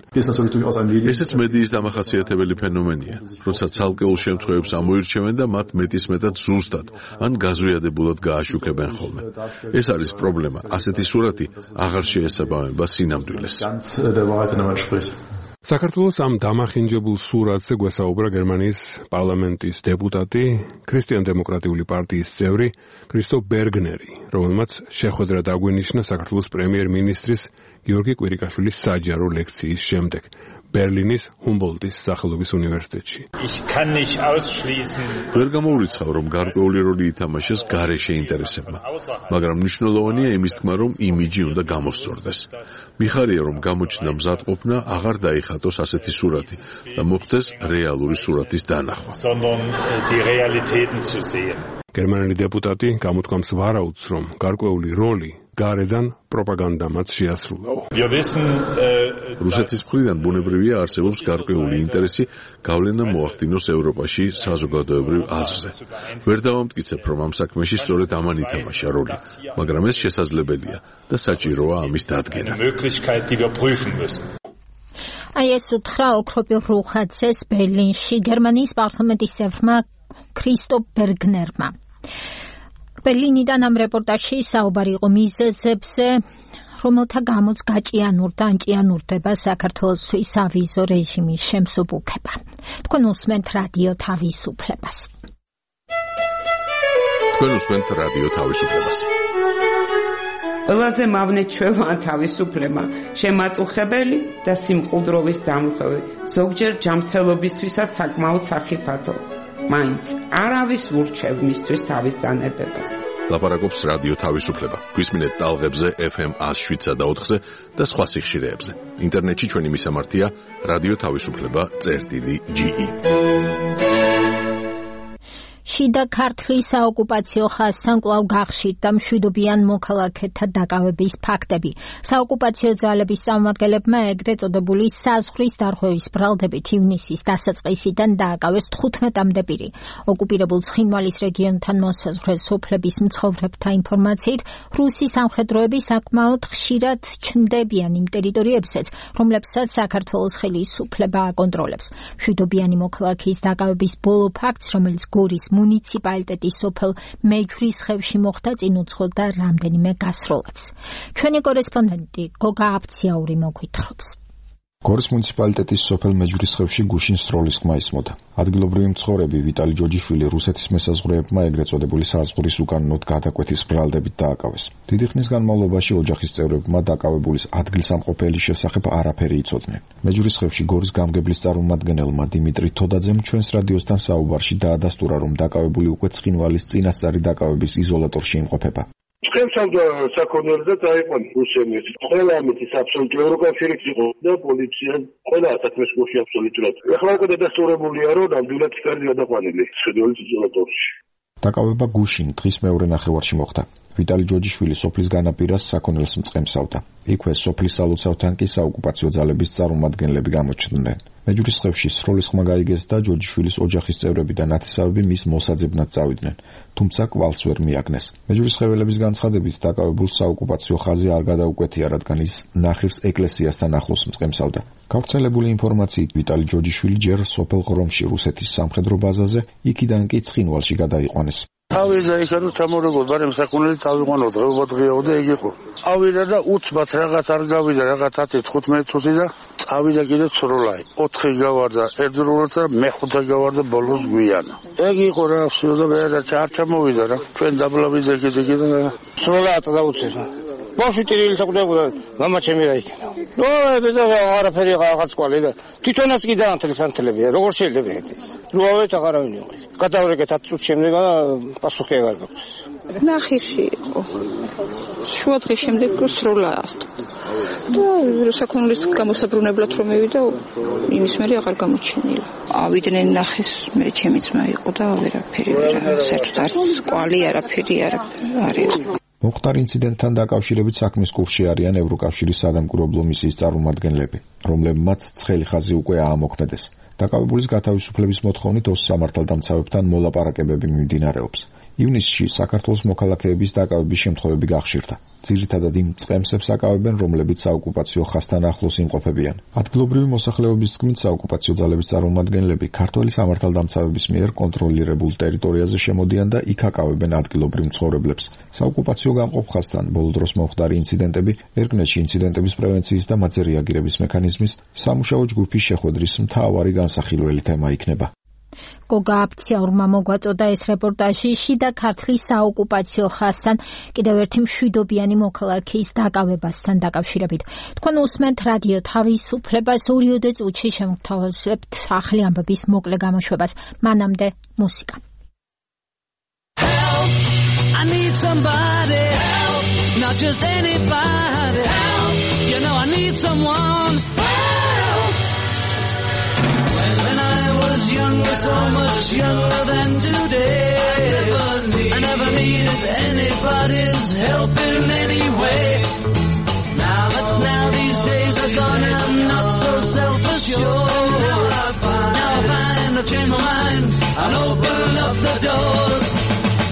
ესეც მედიის დამახასიათებელი ფენომენია, როცა ცალკეულ შემთხვევებს ამოირჩევენ და მათ მეტისმეტად ზუსტად ან გაზვიადებულად გააშუქებენ ხოლმე. ეს არის პრობლემა. ასეთი სურათი აღარ შეესაბამება სინამდვილეს. საქართველოს ამ დამახინჯებულ სურათზე გვესაუბრა გერმანიის პარლამენტის დეპუტატი, ქრისტიან-დემოკრატიული პარტიის წევრი კრისტოფ ბერგნერი, რომელმაც შეხვედრა დაგვინიშნა საქართველოს პრემიერ-მინისტრის გიორგი კვირიკაშვილის საჯარო ლექციის შემდეგ ბერლინის ჰუმბოლდტის სახელობის უნივერსიტეტში. ვერ გამოურიცხავ, რომ გარკვეული როლი ითამაშეს გარეშე ინტერესებმა, მაგრამ მნიშვნელოვანია იმის თქმა, რომ იმიჯი უნდა გამოსწორდეს. მიხარია, რომ გამოჩნდა მზადყოფნა აღარ დაიხატოს ასეთი სურათი და მოხდეს რეალური სურათის დანახვა. გერმანელი დეპუტატი გამოთქვამს ვარაუდს, რომ გარკვეული როლი გარედან პროპაგანდამაც შეასრულაო. რუსეთის მხრიდან ბუნებრივია არსებობს გარკვეული ინტერესი გავლენა მოახდინოს ევროპაში საზოგადოებრივ აზრზე. ვერ დავამტკიცებ, რომ ამ საქმეში სწორედ ამან ითამაშა როლი, მაგრამ ეს შესაძლებელია და საჭიროა ამის დადგენა. აი ეს უთხრა ოქროპილ რუხაძეს ბერლინში გერმანიის პარლამენტის წევრმა ქრისტოფ ბერგნერმა. ბერლინიდან ამ რეპორტაჟში საუბარი იყო მიზეზებზე, რომელთა გამოც გაჭიანურდა ან ჭიანურდება საქართველოსთვის ავიზო რეჟიმის შემსუბუქება. თქვენ უსმენთ რადიო თავისუფლებას. თქვენ უსმენთ რადიო თავისუფლებას. ყველაზე მავნეჩველოვან თავისუფლება, შემაწუხებელი და სიმყუდროვის დამხევი, ზოგჯერ ჯანმრთელობისთვისაც საკმაოდ სახიფათო. მაინც არავის ურჩევ მისთვის თავის დანებებას. ლაპარაკობს რადიო თავისუფლება. გვისმინეთ ტალღებზე ეფ ემ ას შვიდსა და ოთხზე და სხვა სიხშირეებზე. ინტერნეტში ჩვენი მისამართია რადიო თავისუფლება წერტილი ჯი ი. შიდა ქართლის საოკუპაციო ხაზთან კვლავ გახშირდა მშვიდობიან მოქალაქეთა დაკავების ფაქტები. საოკუპაციო ძალების წარმომადგენლებმა ეგრეთ წოდებული საზღვრის დარღვევის ბრალდებით ივნისის დასაწყისიდან დააკავეს თხუთმეტამდე პირი. ოკუპირებულ ცხინვალის რეგიონთან მოსაზღვრე სოფლების მცხოვრებთა ინფორმაციით, რუსი სამხედროები საკმაოდ ხშირად ჩნდებიან იმ ტერიტორიებზეც, რომლებსაც საქართველოს ხელისუფლება აკონტროლებს. მშვიდობიანი მოქალაქის დაკავების ბოლო ფაქტს, რომელიც გორის მუნიციპალიტეტის სოფელ მეჯვრისხევში მოხდა, წინ უძღოდა რამდენიმე გასროლაც. ჩვენი კორესპონდენტი გოგა აფციაური მოგვითხრობს. გორის მუნიციპალიტეტის სოფელ მეჯვრისხევში გუშინ სროლის ხმა ისმოდა. ადგილობრივი მცხოვრები ვიტალი ჯოჯიშვილი რუსეთის მესაზღვრეებმა ეგრეთ წოდებული საზღვრის უკანონოდ გადაკვეთის ბრალდებით დააკავეს. დიდი ხნის განმავლობაში ოჯახის წევრებმა დაკავებულის ადგილსამყოფელის შესახებ არაფერი იცოდნენ. მეჯვრისხევში გორის გამგებლის წარმომადგენელმა დიმიტრი თოდაძემ ჩვენს რადიოსთან საუბარში დაადასტურა, რომ დაკავებული უკვე ცხინვალის წინასწარი დაკავების იზოლატორში იმყოფება. Ჩვენ საქონელზე წაიყვან რუსების. ყველა ამით აბსოლუტურად ევროკავშირიც იყო და პოლიცია ყველა საქმეს გულში აბსოლუტურად. ახლა უკვე დადასტურებულია, რომ ნამდვილად იქარი გადაყვანილი ცხინვალის იზოლატორში. დაკავება გუშინ დღის მეორე ნახევარში მოხდა. ვიტალი ჯოჯიშვილი სოფლის განაპირას საქონელს მწყემსავდა. იქვე სოფლის სალოცავთან კი საოკუპაციო ძალების წარმომადგენლები გამოჩნდნენ. მეჯვრისხევში სროლის ხმა გაიგეს და ჯოჯიშვილის ოჯახის წევრები და ნათესავები მის მოსაძებნად წავიდნენ, თუმცა კვალს ვერ მიაგნეს. მეჯვრისხეველების განცხადებით დაკავებულ საოკუპაციო ხაზი არ გადაუკვეთია, რადგან ის ნახირს ეკლესიასთან ახლოს მწყემსავდა. გავრცელებული ინფორმაციით ვიტალი ჯოჯიშვილი ჯერ სოფელ ღრომში რუსეთის სამხედრო ბაზაზე, იქიდან კი ცხინვალში გადაიყვანეს. ავიდა იქანო ჩამორებულ ბარემ საქონელი წავიყვანო დღეობა დღეაო და ეგ იყო. ავიდა და უცბად რაღაც არ გავიდა, რაღაც ათი თხუთმეტი წუთი და წავიდა კიდე ცროლაი. ოთხი გავარდა ერთდროულად და მეხუთე გავარდა ბოლოს გვიანა. ეგ იყო რა, всё და მე რა არ ჩამოვიდა რა. ჩვენ დაბლავიდა კიდე კიდე და ცროლაა დაუცემა. ბავშვი ტირილი საკუთრებოდა, მამა ჩემი რა იქნა. ნო, და არაფერი რაღაც ყვალი და თვითონაც კი დაანთლეს ანთლებია, როგორ შეიძლება ეგეთი. რუავეთ აღარავინ იყო. გადავრეკეთ ათ წუთს შემდეგ და პასუხი აღარ გაქვს. ნახირში იყო. შუა დღის შემდეგ სროლა ასტა. და საქონლის გამოსაბრუნებლად რომ მივიდა, იმის მერე აღარ გამოჩენილა. ავიდნენ ნახეს, მე ჩემი ძმა იყო და ვერაფერი ვერ საერთოდ არც ყვალი არაფერი არ არის. მოხდარ ინციდენტთან დაკავშირებით საქმის კურსში არიან ევროკავშირის სადამკვირვებლო მისიის წარმომადგენლები, რომლებმაც ცხელი ხაზი უკვე აამოქმედეს. დაკავებულის გათავისუფლების მოთხოვნით ოს სამართალდამცავებთან მოლაპარაკებები მიმდინარეობს. ივნისში საქართველოს მოქალაქეების დაკავების შემთხვევები გახშირდა. ძირითადად იმ წყემსებს აკავებენ, რომლებიც საოკუპაციო ხაზთან ახლოს იმყოფებიან. ადგილობრივი მოსახლეობის თქმით, საოკუპაციო ძალების წარმომადგენლები ქართველი სამართალდამცავების მიერ კონტროლირებულ ტერიტორიაზე შემოდიან და იქ აკავებენ ადგილობრივ მცხოვრებლებს. საოკუპაციო გამყოფ ხაზთან ბოლო დროს მომხდარი ინციდენტები ერკნეტში ინციდენტების პრევენციის და მათზე რეაგირების მექანიზმის სამუშაო ჯგუფის შეხვედრის მთავარი განსახილველი თემა იქნება. გოგა აფციაურმა მოგვაწოდა ეს რეპორტაჟი შიდა ქართლის საოკუპაციო ხაზთან კიდევ ერთი მშვიდობიანი მოქალაქის დაკავებასთან დაკავშირებით. თქვენ უსმენთ რადიო თავისუფლებას ორიოდე წუთში შემოგთავაზებთ ახალი ამბების მოკლე გამოშვებას. მანამდე მუსიკა. Help, I need somebody help, not just anybody help, you know I need someone help. When I was younger, so much younger than today, I never, need, I never needed anybody's help in any way. close the doors.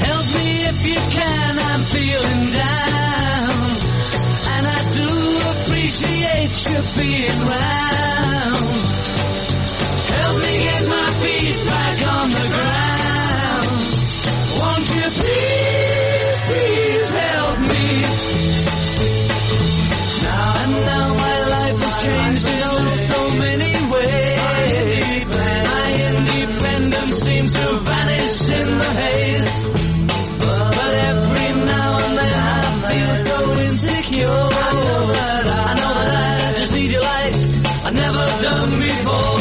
Help me if you can, I'm feeling down. And I do appreciate you being round. Help me get my feet back on the ground. Won't you please, please help me? Now and now my life has changed in oh so many ways. My independence seems to vanish in the haze. But every now and then I feel so insecure. I know that I, I know that I just need you like I've never done before.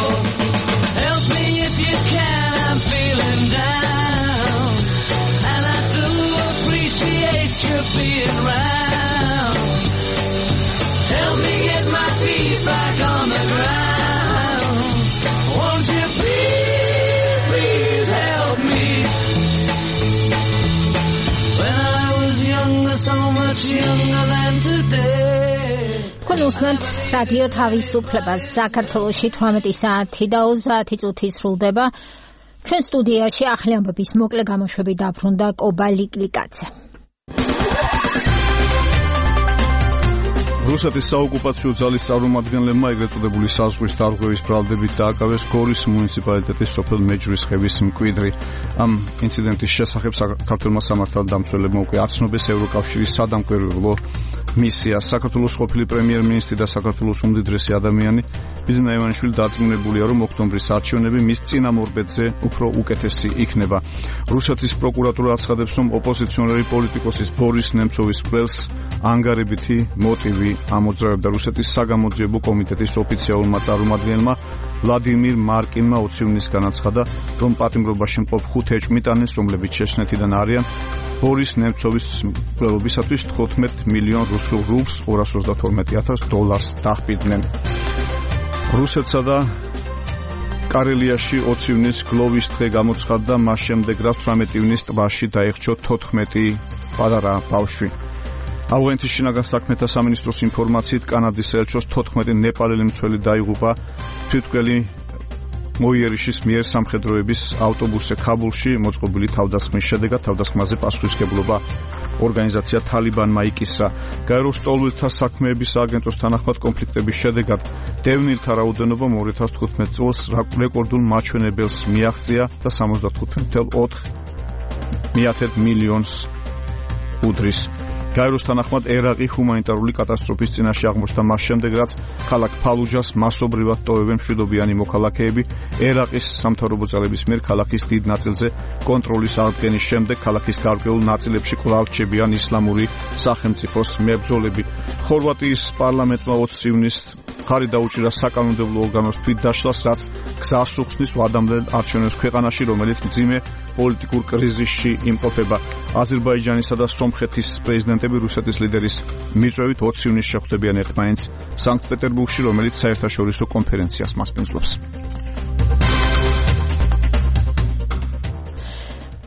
Help me if you can, I'm feeling down. And I do appreciate you being round. Help me get my feet back on the ground. Won't you please, please help me? When I was younger, so much younger than today. თქვენ უსმენთ რადიო თავისუფლებას. საქართველოში თვრამეტი საათი და ოცდაათი წუთი სრულდება. ჩვენ სტუდიაში ახალი ამბების მოკლე გამოშვები დაბრუნდა კობა ლიკლიკაძე. რუსეთის საოკუპაციო ძალის წარმომადგენლებმა ეგრეთ წოდებული საზღვრის დარღვევის ბრალდებით დააკავეს გორის მუნიციპალიტეტის სოფელ მეჯრის ხევის მკვიდრი. ამ ინციდენტის შესახებ საქართველოს სამართალდამცველებმა უკვე აცნობეს ევროკავშირის სადამკვირვებლო მისია. საქართველოს ყოფილი პრემიერ-მინისტრი და საქართველოს უმდიდრესი ადამიანი ბიზნა ივანიშვილი დარწმუნებულია, რომ ოქტომბრის არჩევნები მის წინამორბედზე უფრო უკეთესი იქნება. რუსეთის პროკურატურა აცხადებს, რომ ოპოზიციონერი პოლიტიკოსის ბორის ნემცოვის ყველს ანგარებითი მოტივი ამოძრავებდა. რუსეთის საგამოძიებო კომიტეტის ოფიციალურმა წარმომადგენელმა ვლადიმირ მარკინმა ოცი ივნისს განაცხადა, რომ პატიმრობაში მყოფ ხუთ ეჭვმიტანეს, რომლებიც შეშნეთიდან არიან, ბორის ნემცოვის მკვლელობისათვის თხუთმეტ მილიონ რუსულ რუბლს ორას ოცდათორმეტი ათას დოლარს დახბიდნენ. რუსეთსა და კარელიაში ოცი ივნისს გლოვის დღე გამოცხადდა, მას შემდეგ რაც თვრამეტი ივნისს ტბაში დაიხჩო თოთხმეტი პატარა ბავშვი. ავღანეთის შინაგან საქმეთა სამინისტროს ინფორმაციით კანადის საელჩოს თოთხმეტი ნეპალელი მცველი დაიღუპა თვითმკვლელი მოიერიშის მიერ სამხედროების ავტობუსზე ქაბულში მოწყობილი თავდასხმის შედეგად. თავდასხმაზე პასუხისმგებლობა ორგანიზაცია თალიბანმა იკისრა. გაეროს ლტოლვილთა საქმეების სააგენტოს თანახმად კონფლიქტების შედეგად დევნილთა რაოდენობა ორი ათას თხუთმეტ წელს რეკორდულ მაჩვენებელს მიაღწია და სამოცდათხუთი წუთი ოთხ მილიონს უდრის. გაეროს თანახმად ერაყი ჰუმანიტარული კატასტროფის წინაშე აღმოჩნდა მას შემდეგ, რაც ქალაქ ფალუჯას მასობრივად ტოვებენ მშვიდობიანი მოქალაქეები. ერაყის სამთავრობო ძალების მიერ ქალაქის დიდ ნაწილზე კონტროლის აღდგენის შემდეგ ქალაქის გარკვეულ ნაწილებში კვლავ რჩებიან ისლამური სახელმწიფოს მებრძოლები. ხორვატიის პარლამენტმა ოცი ივნისს ხარი დაუჭირა საკანონმდებლო ორგანოს თვითდაშლას, რაც გზას უხსნის ვადამდე არჩევნებს ქვეყანაში, რომელიც მძიმე პოლიტიკურ კრიზისში იმყოფება. აზერბაიჯანისა და სომხეთის პრეზიდენტები რუსეთის ლიდერის მიწვევით ოცი ივნისს შეხვდებიან ერთმანეთს სანქტ-პეტერბურგში, რომელიც საერთაშორისო კონფერენციას მასპინძლობს.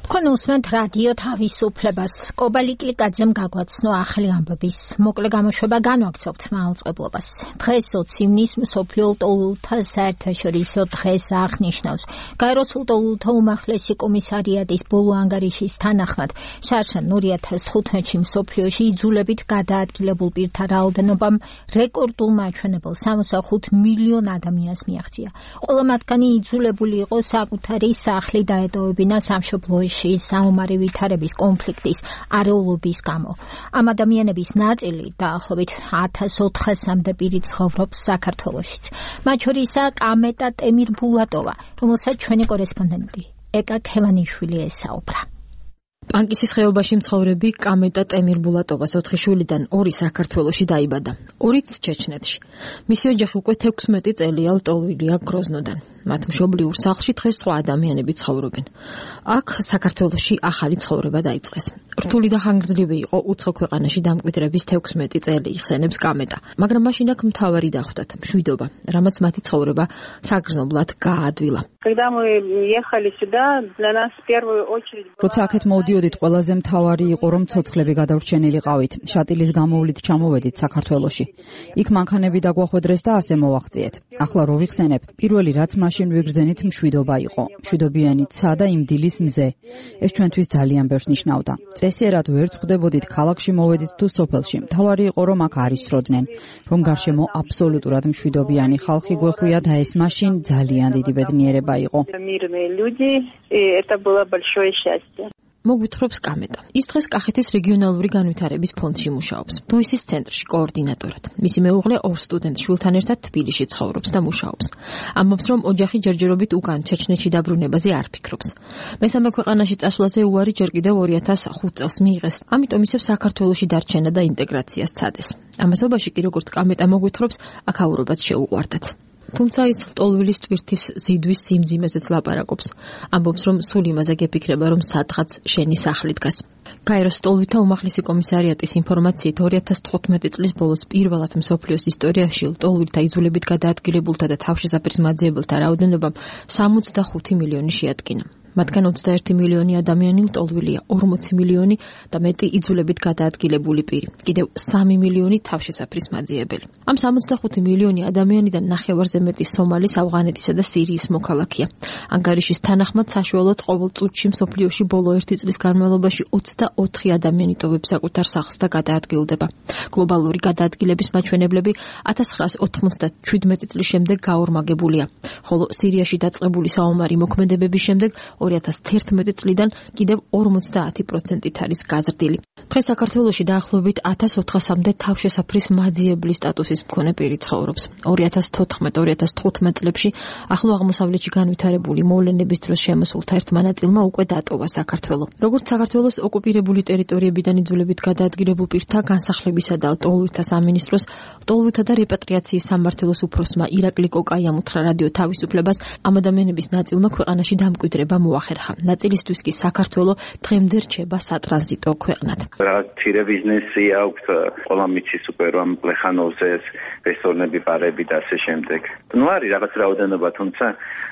თქვენ უსმენთ რადიო თავისუფლებას. კობა ლიკლიკაძემ გაგვაცნო ახალი ამბების მოკლე გამოშვება, განვაგრძობთ მაუწყებლობას. დღეს ოცი ივნისს მსოფლიო ლტოლვილთა საერთაშორისო დღეს აღნიშნავს. გაეროს ლტოლვილთა უმაღლესი კომისარიატის ბოლო ანგარიშის თანახმად, შარშან ორი ათას თხუთმეტში მსოფლიოში იძულებით გადაადგილებულ პირთა რაოდენობამ რეკორდულ მაჩვენებელ სამოცდახუთ მილიონ ადამიანს მიაღწია. ყველა მათგანი იძულებული იყო საკუთარი სახლი დაეტოვებინა სამშობლოში საომარი ვითარების კონფლიქტის არეულობის გამო. ამ ადამიანების ნაწილი დაახლოებით ათას ოთხასამდე პირი ცხოვრობს საქართველოშიც. მათ შორისაა კამეტა ტემირბულატოვა, რომელსაც ჩვენი კორესპონდენტი ეკა ქევანიშვილი ესაუბრა. პანკისის ხეობაში მცხოვრები კამეტა ტემირბულატოვას ოთხი შვილიდან ორი საქართველოში დაიბადა, ორიც ჩეჩნეთში. მისი ოჯახი უკვე თექვსმეტი წელია ლტოლვილია გროზნოდან. მათ მშობლიურ სახლში დღეს სხვა ადამიანები ცხოვრობენ. აქ საქართველოში ახალი ცხოვრება დაიწყეს. რთული და ხანგრძლივი იყო უცხო ქვეყანაში დამკვიდრების თექვსმეტი წელი, იხსენებს კამეტა. მაგრამ მაშინ აქ მთავარი დახვდათ მშვიდობა, რამაც მათი ცხოვრება საგრძნობლად გაადვილა. როცა აქეთ მოვდიოდით, ყველაზე მთავარი იყო, რომ ცოცხლები გადავრჩენილიყავით. შატილის გამოვლით ჩამოვედით საქართველოში. იქ მანქანები დაგვახვედრეს და ასე მოვაღწიეთ. ახლა რო ვიხსენებ, პირველი რაც მაშინ მაშინ ვიგრძენით მშვიდობა იყო. მშვიდობიანი ცა და იმ დილის მზე. ეს ჩვენთვის ძალიან ბევრს ნიშნავდა. წესიერად ვერ ხვდებოდით ქალაქში მოვედით თუ სოფელში. მთავარი იყო რომ აქ არ ისროდნენ, რომ გარშემო აბსოლუტურად მშვიდობიანი ხალხი გვეხვია და ეს მაშინ ძალიან დიდი ბედნიერება იყო. Мирные люди, и это было большое счастье. მოგვითხრობს კამეტა. ის დღეს კახეთის რეგიონალური განვითარების ფონდში მუშაობს. დუისის ცენტრში კოორდინატორად. მისი მეუღლე ორ სტუდენტ შვილთან ერთად თბილისში ცხოვრობს და მუშაობს. ამბობს, რომ ოჯახი ჯერჯერობით უკან ჩეჩნეთში დაბრუნებაზე არ ფიქრობს. მესამე ქვეყანაში წასვლაზე უარი ჯერ კიდევ ორი ათას ხუთ წელს მიიღეს. ამიტომ ისევ საქართველოში დარჩენა და ინტეგრაცია სცადეს. ამასობაში კი როგორც კამეტა მოგვითხრობს, აქაურობაც შეუყვარდათ. თუმცა ის ლტოლვილის ტვირთის ზიდვის სიმძიმეზეც ლაპარაკობს. ამბობს, რომ სულ იმაზე გეფიქრება, რომ სადღაც შენი სახლი დგას. გაეროს ლტოლვილთა უმაღლესი კომისარიატის ინფორმაციით ორი ათას თხუთმეტი წლის ბოლოს პირველად მსოფლიოს ისტორიაში ლტოლვილთა იძულებით გადაადგილებულთა და თავშესაფრის მაძიებელთა რაოდენობამ სამოცდახუთი მილიონი შეადგინა. მათგან ოცდაერთი მილიონი ადამიანი ლტოლვილია, ორმოცი მილიონი და მეტი იძულებით გადაადგილებული პირი, კიდევ სამი მილიონი თავშესაფრის მაძიებელი. ამ სამოცდახუთი მილიონი ადამიანიდან ნახევარზე მეტი სომალის, ავღანეთისა და სირიის მოქალაქეა. ანგარიშის თანახმად საშუალოდ ყოველ წუთში მსოფლიოში ბოლო ერთი წლის განმავლობაში ოცდაოთხი ადამიანი ტოვებს საკუთარ სახლს და გადაადგილდება. გლობალური გადაადგილების მაჩვენებლები ათას ცხრაას ოთხმოცდაშვიდმეტი წლის შემდეგ გაორმაგებულია, ხოლო სირიაში დაწყებული საომარი მოქმედებების შემდეგ ორი ათას თერთმეტი წლიდან კიდევ ორმოცდაათი პროცენტით არის გაზრდილი. დღეს საქართველოში დაახლოებით ათას ოთხასამდე თავშესაფრის მაძიებლის სტატუსის მქონე პირი ცხოვრობს. ორი ათას თოთხმეტ ორი ათას თხუთმეტ წლებში ახლო აღმოსავლეთში განვითარებული მოვლენების დროს შემოსულთა ერთმა ნაწილმა უკვე დატოვა საქართველო. როგორც საქართველოს ოკუპირებული ტერიტორიებიდან იძულებით გადაადგილებულ პირთა განსახლებისა და ლტოლვილთა სამინისტროს ლტოლვილთა და რეპატრიაციის სამმართველოს უფროსმა ირაკლი კოკაი ამუხრა რადიო თავისუფლებას, ამ ადამიანების ნაწილმა ქვეყანაში დამკვიდრება მოახერხა. ნაწილისთვის კი საქართველო დღემდე რჩება სატრანზიტო ქვეყნად. მცირე ბიზნესი აქვს, ყველა მიცის უკვე რომ ლეხანოვზე რესტორნები, ბარები და ასე შემდეგ. ნუ არის რაღაც რაოდენობა, თუმცა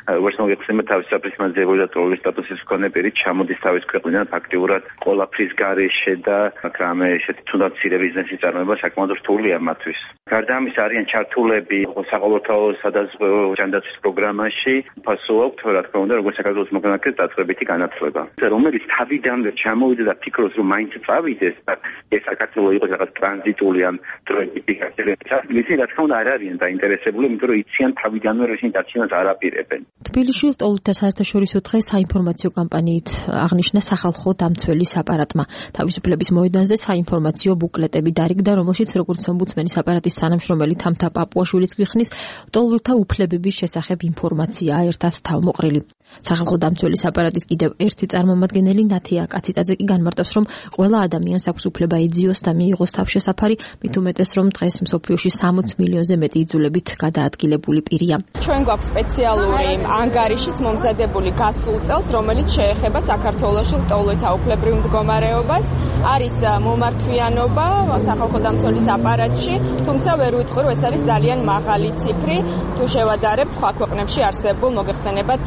როგორც მოგეხსენებათ, თავისუფლის მაძიებელი და ლტოლვილის სტატუსის მქონე პირი ჩამოდის თავის ქვეყნიდან ფაქტიურად ყველაფრის გარეშე და რამე ესეთი თუნდაც მცირე ბიზნესის წარმოება საკმაოდ რთულია მათთვის. გარდა ამისა არიან ჩართულები საყოველთაო სადაზღვევო ჯანდაცვის პროგრამაში, ფასო აქვს რა თქმა უნდა, როგორც საქართველოს მოგონაკეს დაწყებითი განათლება. რომელიც თავიდანვე ჩამოვიდა და ფიქრობს, რომ მაინც წავიდეს და ეს საქართველო იყოს რაღაც ტრანზიტული ან დროებითი გაგრძელება. ისინი რა თქმა უნდა არ არიან დაინტერესებული, იმიტომ რომ იციან თავიდანვე რომ ისინი დარჩენას არ აპირებენ. თბილისში ლტოლვილთა საერთაშორისო დღე საინფორმაციო კამპანიით აღნიშნა სახალხო დამცველის აპარატმა. თავისუფლების მოედანზე საინფორმაციო ბუკლეტები დარიგდა, რომელშიც როგორც ომბუდსმენის აპარატის თანამშრომელი თამთა პაპუაშვილიც გვიხსნის, ლტოლვილთა უფლებების შესახებ ინფორმაციაა ერთად თავმოყრილი. სახალხო დამცველის აპარატის კიდევ ერთი წარმომადგენელი ნათია კაციტაძე კი განმარტავს, რომ ყველა ადამიანს აქვს უფლება ეძიოს და მიიღოს თავშესაფარი, მით უმეტეს რომ დღეს მსოფლიოში სამოც მილიონზე მეტი იძულებით გადაადგილებული პირია. ჩვენ გვაქვს სპეციალური ანგარიშიც მომზადებული გასულ წელს, რომელიც შეეხება საქართველოში ლტოლვილთა უფლებრივ მდგომარეობას. არის მომართვიანობა სახალხო დამცველის აპარატში, თუმცა ვერ ვიტყვი, რომ ეს არის ძალიან მაღალი ციფრი, თუ შევადარებთ სხვა ქვეყნებში არსებულ მოგეხსენებათ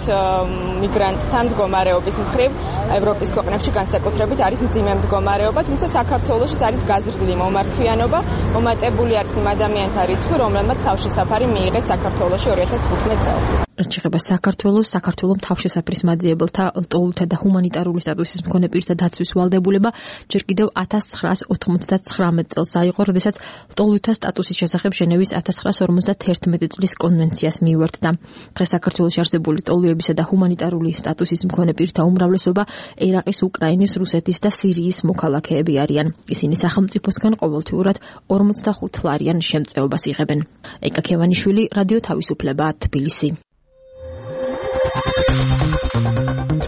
მიგრანტთან მდგომარეობის მხრივ ევროპის ქვეყნებში განსაკუთრებით არის მძიმე მდგომარეობა, თუმცა საქართველოშიც არის გაზრდილი მომართვიანობა, მომატებული არის იმ ადამიანთა რიცხვი, რომლებმაც თავშესაფარი მიიღეს საქართველოში ორი ათას თხუთმეტ წელს. რაც შეეხება საქართველოს, საქართველოს თავშესაფრის მაძიებელთა, ლტოლვილთა და ჰუმანიტარული სტატუსის მქონე პირთა დაცვის ვალდებულება ჯერ კიდევ ათას ცხრაას ოთხმოცდათხრამეტ წელს აიღო, როდესაც ლტოლვილთა სტატუსის შესახებ ჟენევის ათას ცხრაას ორმოცდათერთმეტი წლის კონვენციას მიუერთდა. დღეს საქართველოში არსებული ლტოლვილებისა და ჰუმანიტარული სტატუსის მქონე პირთა უმრავლესობა ერაყის, უკრაინის, რუსეთის და სირიის მოქალაქეები არიან. ისინი სახელმწიფოსგან ყოველთვიურად ორმოცდახუთ ლარიან შემწეობას იღებენ. ეკა ქევანიშვილი, რადიო თავისუფლება, თბილისი.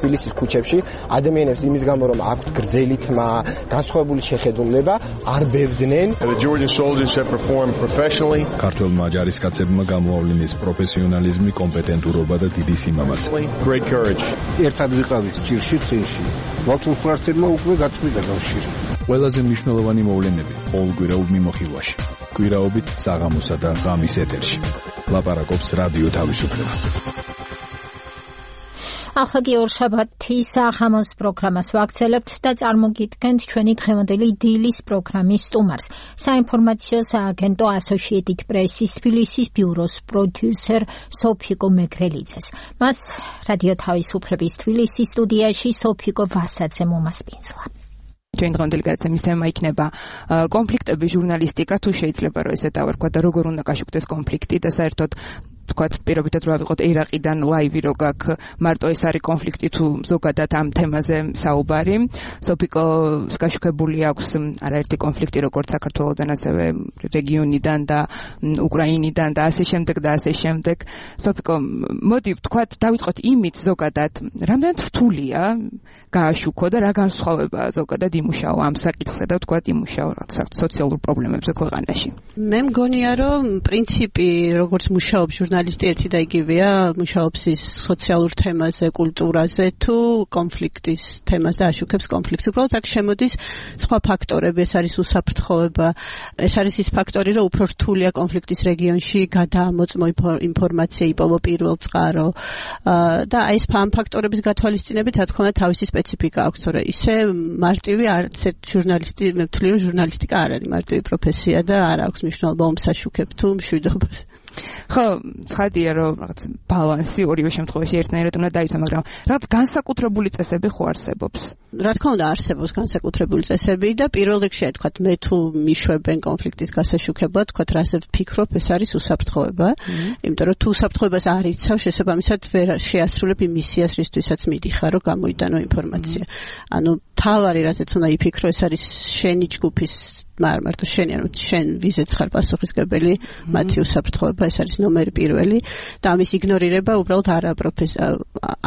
თბილისის ქუჩებში ადამიანებს იმის გამო რომ აქვთ გრძელი თმა, განსხვავებული შეხედულება, არ ბევდნენ. ქართველმა ჯარისკაცებმა გამოავლინეს პროფესიონალიზმი, კომპეტენტურობა და დიდი სიმამაცე. ერთად ვიყავით ჭირში წინში. მართლმსვართებმა უკვე გაწყვიტა კავშირი. ყველაზე მნიშვნელოვანი მოვლენები ყოველკვირაულ მიმოხილვაში. კვირაობით საღამოსა და ღამის ეთერში. ლაპარაკობს რადიო თავისუფლება. ახლა კი ორშაბათის საღამოს პროგრამას ვაგრძელებთ და წარმოგიდგენთ ჩვენი დღევანდელი დილის პროგრამის სტუმარს, საინფორმაციო სააგენტო Associated Press-ის თბილისის ბიუროს პროდიუსერ სოფიკო მეგრელიძეს. მას რადიო თავისუფლების თბილისის სტუდიაში სოფიკო ვასაძე მომასპინძლა. ჩვენ დღევანდელი გადაცემის თემა იქნება კონფლიქტები ჟურნალისტიკა, თუ შეიძლება რომ ესე დავარქვა და როგორ უნდა გაშუქდეს კონფლიქტი და საერთოდ თქვათ პირობითად რა ვიყოთ ერაყიდან ლაივი რო გაქვს მარტო ეს არის კონფლიქტი თუ ზოგადად ამ თემაზე საუბარი. სოფიკოს გაშუქებული აქვს არაერთი კონფლიქტი როგორც საქართველოსთან ასევე რეგიონიდან და უკრაინიდან და ასე შემდეგ და ასე შემდეგ. სოფიკო, მოდი ვთქვათ დავიწყოთ იმით ზოგადად რამდენად რთულია გააშუქო და რა განსხვავება ზოგადად იმუშაო ამ საკითხზე და ვთქვათ იმუშაო რა სოციალურ პრობლემებზე ქვეყანაში. მე მგონია რომ პრინციპი როგორც მუშაობს ჟურნალისტი ერთი და იგივეა, მუშაობს ის სოციალურ თემაზე, კულტურაზე თუ კონფლიქტის თემას და აშუქებს კონფლიქტს. უბრალოდ აქ შემოდის სხვა ფაქტორები, ეს არის უსაფრთხოება, ეს არის ის ფაქტორი, რომ უფრო რთულია კონფლიქტის რეგიონში გადაამოწმო ინფორმაცია, იპოვო პირველ წყარო და აი ეს ამ ფაქტორების გათვალისწინებით რა თქმა უნდა თავისი სპეციფიკა აქვს, თორე ისე მარტივი არც ერთ ჟურნალისტი, მე ვთვლი რომ ჟურნალისტიკა არ არის მარტივი პროფესია და არ აქვს მნიშვნელობა ომს აშუქებ თუ მშვიდობას. ხო, ცხადია რომ რაღაც ბალანსი ორივე შემთხვევაში ერთნაირად უნდა დაიცვა, მაგრამ რაღაც განსაკუთრებული წესები ხო არსებობს? რა თქმა უნდა არსებობს განსაკუთრებული წესები და პირველ რიგში თქვათ მე თუ მიშვებენ კონფლიქტის გასაშუქებლად, თქვათ რასაც ვფიქრობ, ეს არის უსაფრთხოება, იმიტომ რომ თუ უსაფრთხოებას არ იცავ, შესაბამისად ვერ შეასრულებ იმ მისიას, რისთვისაც მიდიხარ, რომ გამოიტანო ინფორმაცია. ანუ თავარი რასაც უნდა იფიქრო, ეს არის შენი ჯგუფის მაგრამ მარტო შენი ანუ შენ ვიზეც ხარ პასუხისგებელი მათი უსაფრთხოება ეს არის ნომერი პირველი და ამის იგნორირება უბრალოდ არა პროფესია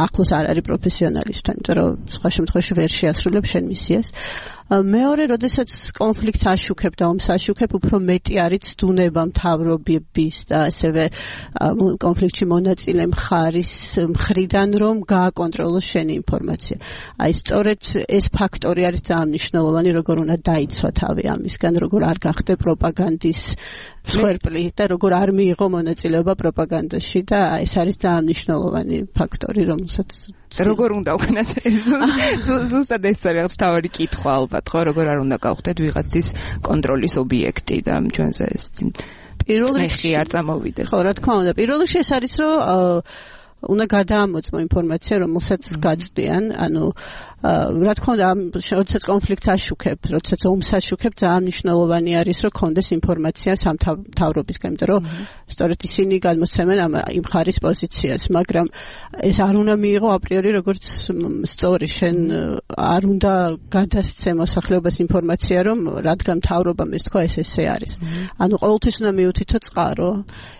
ახლოს არ არის პროფესიონალისტთან იმიტომ რომ სხვა შემთხვევაში ვერ შეასრულებ შენ მისიას მეორე, როდესაც კონფლიქტს აშუქებ და ომს აშუქებ, უფრო მეტი არის ცდუნება მთავრობების და ასევე კონფლიქტში მონაწილე მხარის მხრიდან, რომ გააკონტროლოს შენი ინფორმაცია. აი, სწორედ ეს ფაქტორი არის ძალიან მნიშვნელოვანი, როგორ უნდა დაიცვა თავი ამისგან, როგორ არ გახდე პროპაგანდის მსხვერპლი და როგორ არ მიიღო მონაწილეობა პროპაგანდაში და ეს არის ძალიან მნიშვნელოვანი ფაქტორი, რომელსაც როგორ უნდა ვქნათ ზუსტად ეს არის თავი კითხვა ალბათ ხო როგორ არ უნდა გავხდეთ ვიღაცის კონტროლის ობიექტი და ჩვენზე ეს პირველ რიგში არ წამოვიდეს ხო რა თქმა უნდა პირველ რიგში ეს არის რომ უნდა გადაამოწმო ინფორმაცია რომელსაც გაწვდიან ანუ რა თქმა უნდა როდესაც კონფლიქტს აშუქებ როდესაც ომს აშუქებ ძალიან მნიშვნელოვანი არის რომ კონდეს ინფორმაცია სამთავრობისგან იმიტომ რომ სწორედ ისინი გადმოსცემენ ამ იმ ხარის პოზიციას მაგრამ ეს არ უნდა მიიღო აპრიორი როგორც სწორი შენ არ უნდა გადასცე მოსახლეობას ინფორმაცია რომ რადგან მთავრობამ ეს თქვა ეს ესე არის ანუ ყოველთვის უნდა მიუთითო წყარო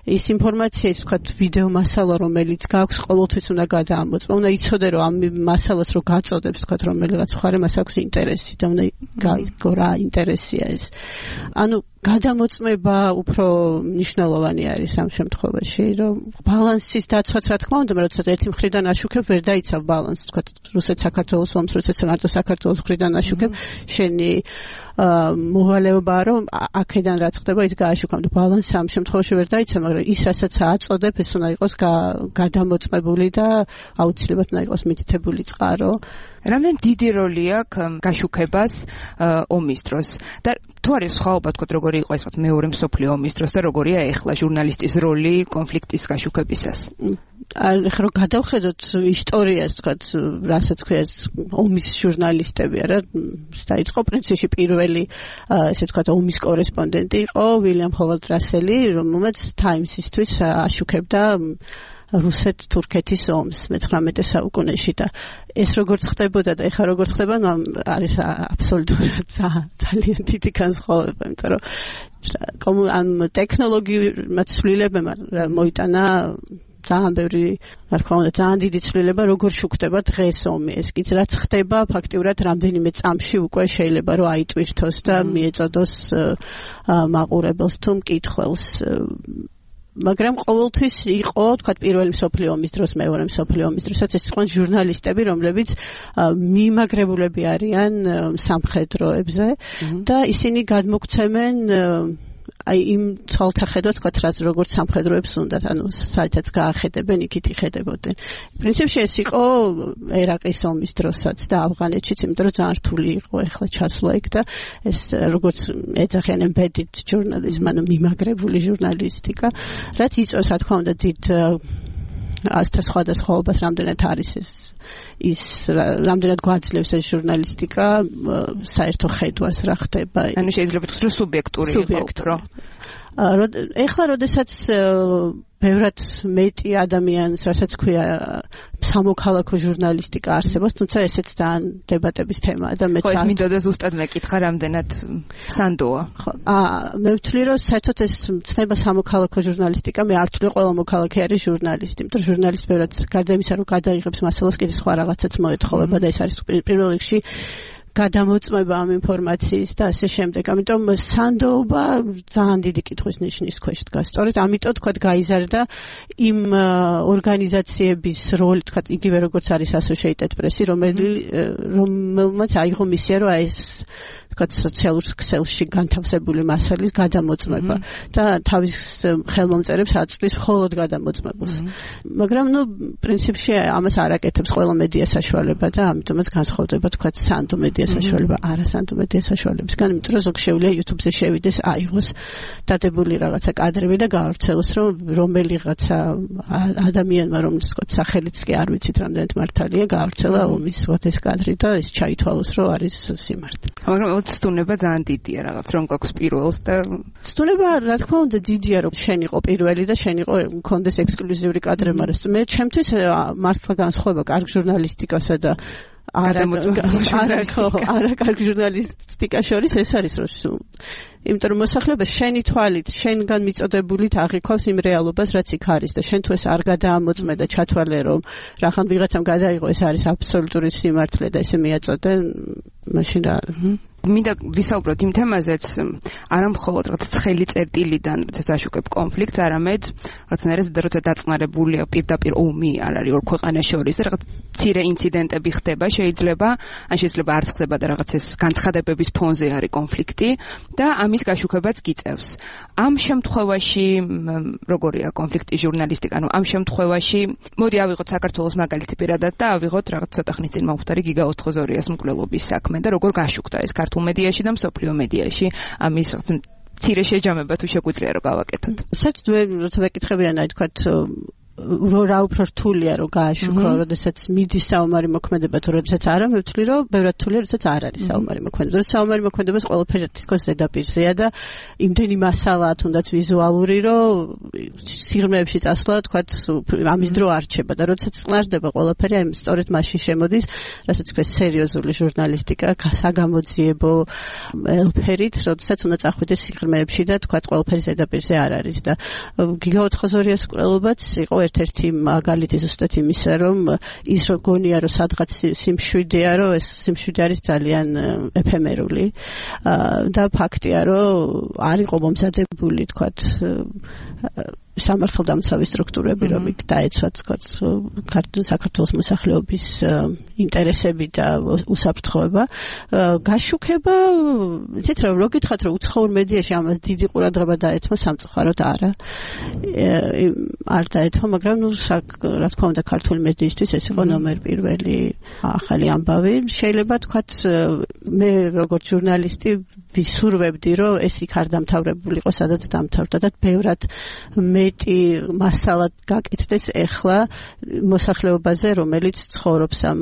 ის ინფორმაცია ის თქვა ვიდეო მასალა რომელიც გაქვს ყოველთვის უნდა გადაამოწმო უნდა იცოდე რომ ამ მასალას რო გაწოდებს თქვა რომელიღაც მხარე მას აქვს ინტერესი და უნდა გაიგო რა ინტერესია ეს. ანუ გადამოწმება უფრო მნიშვნელოვანი არის ამ შემთხვევაში, რომ ბალანსის დაცვაც რა თქმა უნდა, როდესაც ერთი მხრიდან აშუქებ, ვერ დაიცავ ბალანსს, თქვა რუსეთ-საქართველოს ომს, როდესაც მარტო საქართველოს მხრიდან აშუქებ, შენი მოვალეობა რომ აქედან რაც ხდება ის გააშუქამ და ბალანსი ამ შემთხვევაში ვერ დაიცავ, მაგრამ ის რასაც აწოდებ, ეს უნდა იყოს გადამოწმებული და აუცილებლად უნდა იყოს მითითებული წყარო. რამდენ დიდი როლი აქვს გაშუქებას ომის დროს და თუ არის სხვაობა თქვა როგორი იყო ეს მეორე მსოფლიო ომის დროს და როგორია ეხლა ჟურნალისტის როლი კონფლიქტის გაშუქებისას ახლა რომ გადავხედოთ ისტორიას თქვა რასაც ქვია ომის ჟურნალისტები არა დაიწყო პრინციპში პირველი ესე თქვა ომის კორესპონდენტი იყო ვილიამ ჰოვარდ რასელი რომელმაც ტაიმსისთვის აშუქებდა რუსეთ-თურქეთის ომს მეცხრამეტე საუკუნეში და ეს როგორც ხდებოდა და ეხლა როგორც ხდება არის აბსოლუტურად ძალიან დიდი განსხვავება იმიტომ რომ ამ ტექნოლოგიურ ცვლილებებმა მოიტანა ძალიან ბევრი რა თქმა უნდა ძალიან დიდი ცვლილება როგორ შუქდება დღეს ომი ეს კიც რაც ხდება ფაქტიურად რამდენიმე წამში უკვე შეიძლება რომ აიტვირთოს და მიეწოდოს მაყურებელს თუ მკითხველს მაგრამ ყოველთვის იყო, თქვა პირველი მსოფლიო ომის დროს, მეორე მსოფლიო ომის დროსაც ეს იყვნენ ჟურნალისტები, რომლებიც მიმაგრებულები არიან სამხედროებზე და ისინი გადმოგცემენ აი იმ ცოლთა ხედვაც თქვათ რაც როგორც სამხედროებს უნდათ, ანუ საერთოდ გაახედებენ, იქით იხედებოდნენ. პრინციპში ეს იყო ერაყის ომის დროსაც და ავღანეთშიც, იმიტომ რომ ძალიან რთული იყო ეხლა ჩასვლა იქ და ეს როგორც ეძახიან embedded journalism, ანუ მიმაგრებული ჟურნალისტიკა, რაც იწვევს, რა თქმა უნდა, დიდ ასთა სხვადასხვაობას, რამდენად არის ეს ის რამდენად გვაძლევს ეს ჟურნალისტიკა საერთო ხედვას რა ხდება. ანუ შეიძლება თქვა რომ სუბიექტური იყო. ეხლა როდესაც ბევრად მეტი ადამიანს, რასაც ქვია სამოქალაქო ჟურნალისტიკა არსებობს, თუმცა ესეც ძალიან დებატების თემაა და მე ხო ეს მინდოდა ზუსტად მეკითხა რამდენად სანდოა. ხო, აა მე ვთვლი რომ საერთოდ ეს ცნება სამოქალაქო ჟურნალისტიკა, მე არ ვთვლი ყველა მოქალაქე არის ჟურნალისტი, იმიტომ რომ ჟურნალისტი ბევრად გარდა იმისა რომ გადაიღებს მასალას, კიდე სხვა რაღაცაც მოეთხოვება და ეს არის პირველ რიგში გადამოწმება ამ ინფორმაციის და ასე შემდეგ. ამიტომ სანდოობა ძალიან დიდი კითხვის ნიშნის ქვეშ დგას. სწორედ ამიტომ თქვა გაიზარდა იმ ორგანიზაციების როლი, თქვა იგივე როგორც არის Associated Press, რომელმაც აიღო მისია, რომ ეს თქვა სოციალურ ქსელში განთავსებული მასალის გადამოწმება და თავის ხელმომწერებს აწვდის მხოლოდ გადამოწმებულს. მაგრამ ნუ პრინციპში ამას არ აკეთებს ყველა მედია საშუალება და ამიტომაც განსხვავდება თქვა სანდო მედია საშუალება არა სანდო მედია საშუალებისგან, იმიტომ რომ ზოგ შეუძლია YouTube-ზე შევიდეს, აიღოს დადებული რაღაცა კადრები და გაავრცელოს, რომ რომელიღაცა ადამიანმა, რომელიც თქვა სახელიც კი არ ვიცით რამდენად მართალია, გაავრცელა ომის ეს კადრი და ეს ჩაითვალოს, რომ არის სიმართლე. მაგრამ ცდუნება ძალიან დიდია რაღაც რომ გვაქვს პირველს და ცდუნება რა თქმა უნდა დიდია რომ შენ იყო პირველი და შენ იყო მქონდეს ექსკლუზიური კადრები, მაგრამ მე ჩემთვის მართლა განსხვავება კარგ ჟურნალისტიკასა და არა არა ხო არა კარგ ჟურნალისტიკას შორის ეს არის რომ იმიტომ რომ მოსახლეობა შენი თვალით, შენგან მიწოდებულით აღიქვავს იმ რეალობას, რაც იქ არის და შენ თუ ეს არ გადაამოწმე და ჩათვალე რომ რახან ვიღაცამ გადაიღო, ეს არის აბსოლუტური სიმართლე და ესე მიაწოდე, მაშინ რა მინდა ვისაუბროთ იმ თემაზეც, არა მხოლოდ რაღაც ცხელი წერტილიდან დაშუქებ კონფლიქტს, არამედ რაღაცნაირად როცა დაწყნარებულია პირდაპირ ომი არ არის ორ ქვეყანას შორის და რაღაც მცირე ინციდენტები ხდება, შეიძლება, ან შეიძლება არ ხდება და რაღაც ეს განცხადებების ფონზე არის კონფლიქტი და ამის გაშუქებაც გიწევს. ამ შემთხვევაში როგორია კონფლიქტის ჟურნალისტიკა, ანუ ამ შემთხვევაში მოდი ავიღოთ საქართველოს მაგალითი პირადად და ავიღოთ რაღაც ცოტა ხნის წინ მომხდარი გიგა ოთხგზორიას მკვლელობის საქმე და როგორ გაშუქდა ეს ქართულ მედიაში და მსოფლიო მედიაში ამის მცირე შეჯამება თუ შეგვიძლია რომ გავაკეთოთ. საერთოდ როცა ვეკითხებიან აი თქვათ რა უფრო რთულია რომ გააშუქო, როდესაც მიდის საომარი მოქმედება თუ როდესაც არა, მე ვთვლი რომ ბევრად რთულია, როდესაც არ არის საომარი მოქმედება. საომარი მოქმედებას ყველაფერი თითქოს ზედაპირზეა და იმდენი მასალაა თუნდაც ვიზუალური, რომ სიღრმეებში წასვლა თქვათ ამის დრო არ რჩება და როდესაც წყნარდება ყველაფერი, აი სწორედ მაშინ შემოდის, რასაც ქვეს სერიოზული ჟურნალისტიკა, საგამოძიებო ელფერით, როდესაც უნდა წახვიდეს სიღრმეებში და თქვათ ყველაფერი ზედაპირზე არ არის და გიგა ოთხგზორიას მკვლელობაც იყო ერთ-ერთი მაგალითი ზუსტად იმისა, რომ ის რო გონია, რომ სადღაც სიმშვიდეა, რომ ეს სიმშვიდე არის ძალიან ეფემერული და ფაქტია, რომ არ იყო მომზადებული, თქვათ, სამართალდამცავი სტრუქტურები, რომ იქ დაეცვათ, თქვათ, საქართველოს მოსახლეობის ინტერესები და უსაფრთხოება. გაშუქება, იცით რა, რო გითხრათ, რომ უცხოურ მედიაში ამას დიდი ყურადღება დაეთმო, სამწუხაროდ არა. არ დაეთმო, მაგრამ ნუ რა თქმა უნდა ქართული მედიისთვის ეს იყო ნომერ პირველი ახალი ამბავი. შეიძლება თქვათ, მე როგორც ჟურნალისტი ვისურვებდი, რომ ეს იქ არ დამთავრებულიყო, სადაც დამთავრდა და ბევრად მეტი მასალა გაკეთდეს ეხლა მოსახლეობაზე, რომელიც ცხოვრობს ამ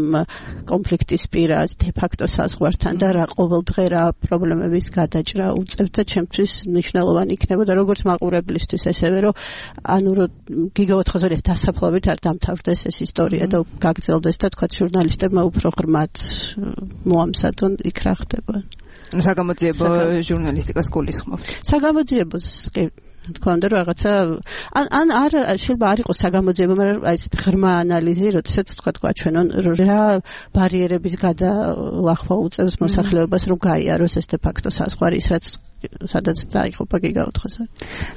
კონფლიქტის პირას, დე-ფაქტო საზღვართან და რა ყოველდღე რა პრობლემების გადაჭრა უწევთ და ჩემთვის მნიშვნელოვანი იქნებოდა როგორც მაყურებლისთვის, ესევე რომ ანუ რომ გიგა ოთხგზორიას დასაფლავით არ დამთავრდეს ეს ისტორია და გაგრძელდეს და თქვა ჟურნალისტებმა უფრო ღრმად მოამზადონ იქ რა ხდება. საგამოძიებო ჟურნალისტიკას გულისხმობთ. საგამოძიებოს კი თქვა უნდა რომ რაღაცა ან ან არ შეიძლება არ იყოს საგამოძიებო, მაგრამ აი ეს ღრმა ანალიზი, როდესაც თქვა გვაჩვენონ რა ბარიერების გადალახვა უწევს მოსახლეობას, რომ გაიაროს ეს დე-ფაქტო საზღვარი, რაც სადაც დაიღუპა გიგა ოთხგზორი.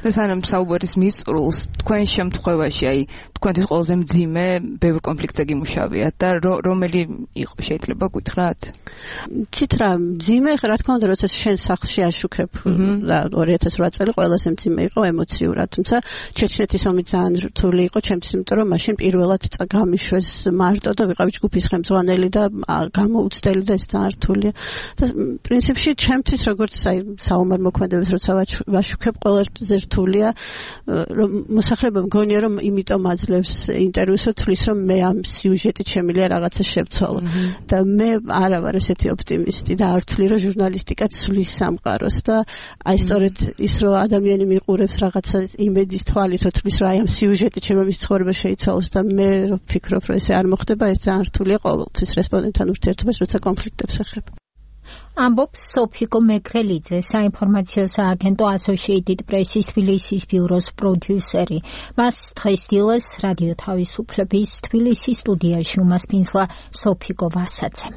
და სანამ საუბრის მისწრულს, თქვენ შემთხვევაში, აი თქვენთვის ყველაზე მძიმე ბევრ კონფლიქტზე გიმუშავიათ და რომელი იყო შეიძლება გითხრათ? ცით რა ძიმე რა თქმა უნდა როცა შენ სახლში აშუქებ და ორი ათას ოთხ წელი ყველაზე მძიმე იყო ემოციურად თუმცა ჩეჩნეთის ომი ძალიან რთული იყო ჩემთვის იმიტომ რომ მაშინ პირველად გამიშვეს მარტო და ვიყავი ჯგუფის ხელმძღვანელი და გამოუცდელი და ეს ძალიან რთულია და პრინციპში ჩემთვის როგორც აი საომარ მოქმედებას როცა ვაშუქებ ყველაზე რთულია რომ მოსახლეობა მგონია რომ იმიტომ აძლევს ინტერვიუს რომ თulis რომ მე ამ სიუჟეტით შემიძლია რაღაცა შევცვალო და მე არა ვარ ესეთი ოპტიმისტი და არ ვთვლი რომ ჟურნალისტიკა ცვლის სამყაროს და აი სწორედ ის რომ ადამიანი მიყურებს რაღაცა იმედის თვალით რომ თulis რომ აი ამ სიუჟეტით შემიძლია ცხოვრება შეიცვალოს და მე ვფიქრობ რომ ესე არ მოხდება ეს ძალიან რთულია ყოველთვის რესპონდენტთან ურთიერთობას როცა კონფლიქტებს ეხება ამბობს სოფიკო მეგრელიძე, საინფორმაციო სააგენტო Associated Press-ის თბილისის ბიუროს პროდიუსერი. მას დღეს დილეს რადიო თავისუფლების თბილისის სტუდიაში უმასპინძლა სოფიკო ვასაცემ.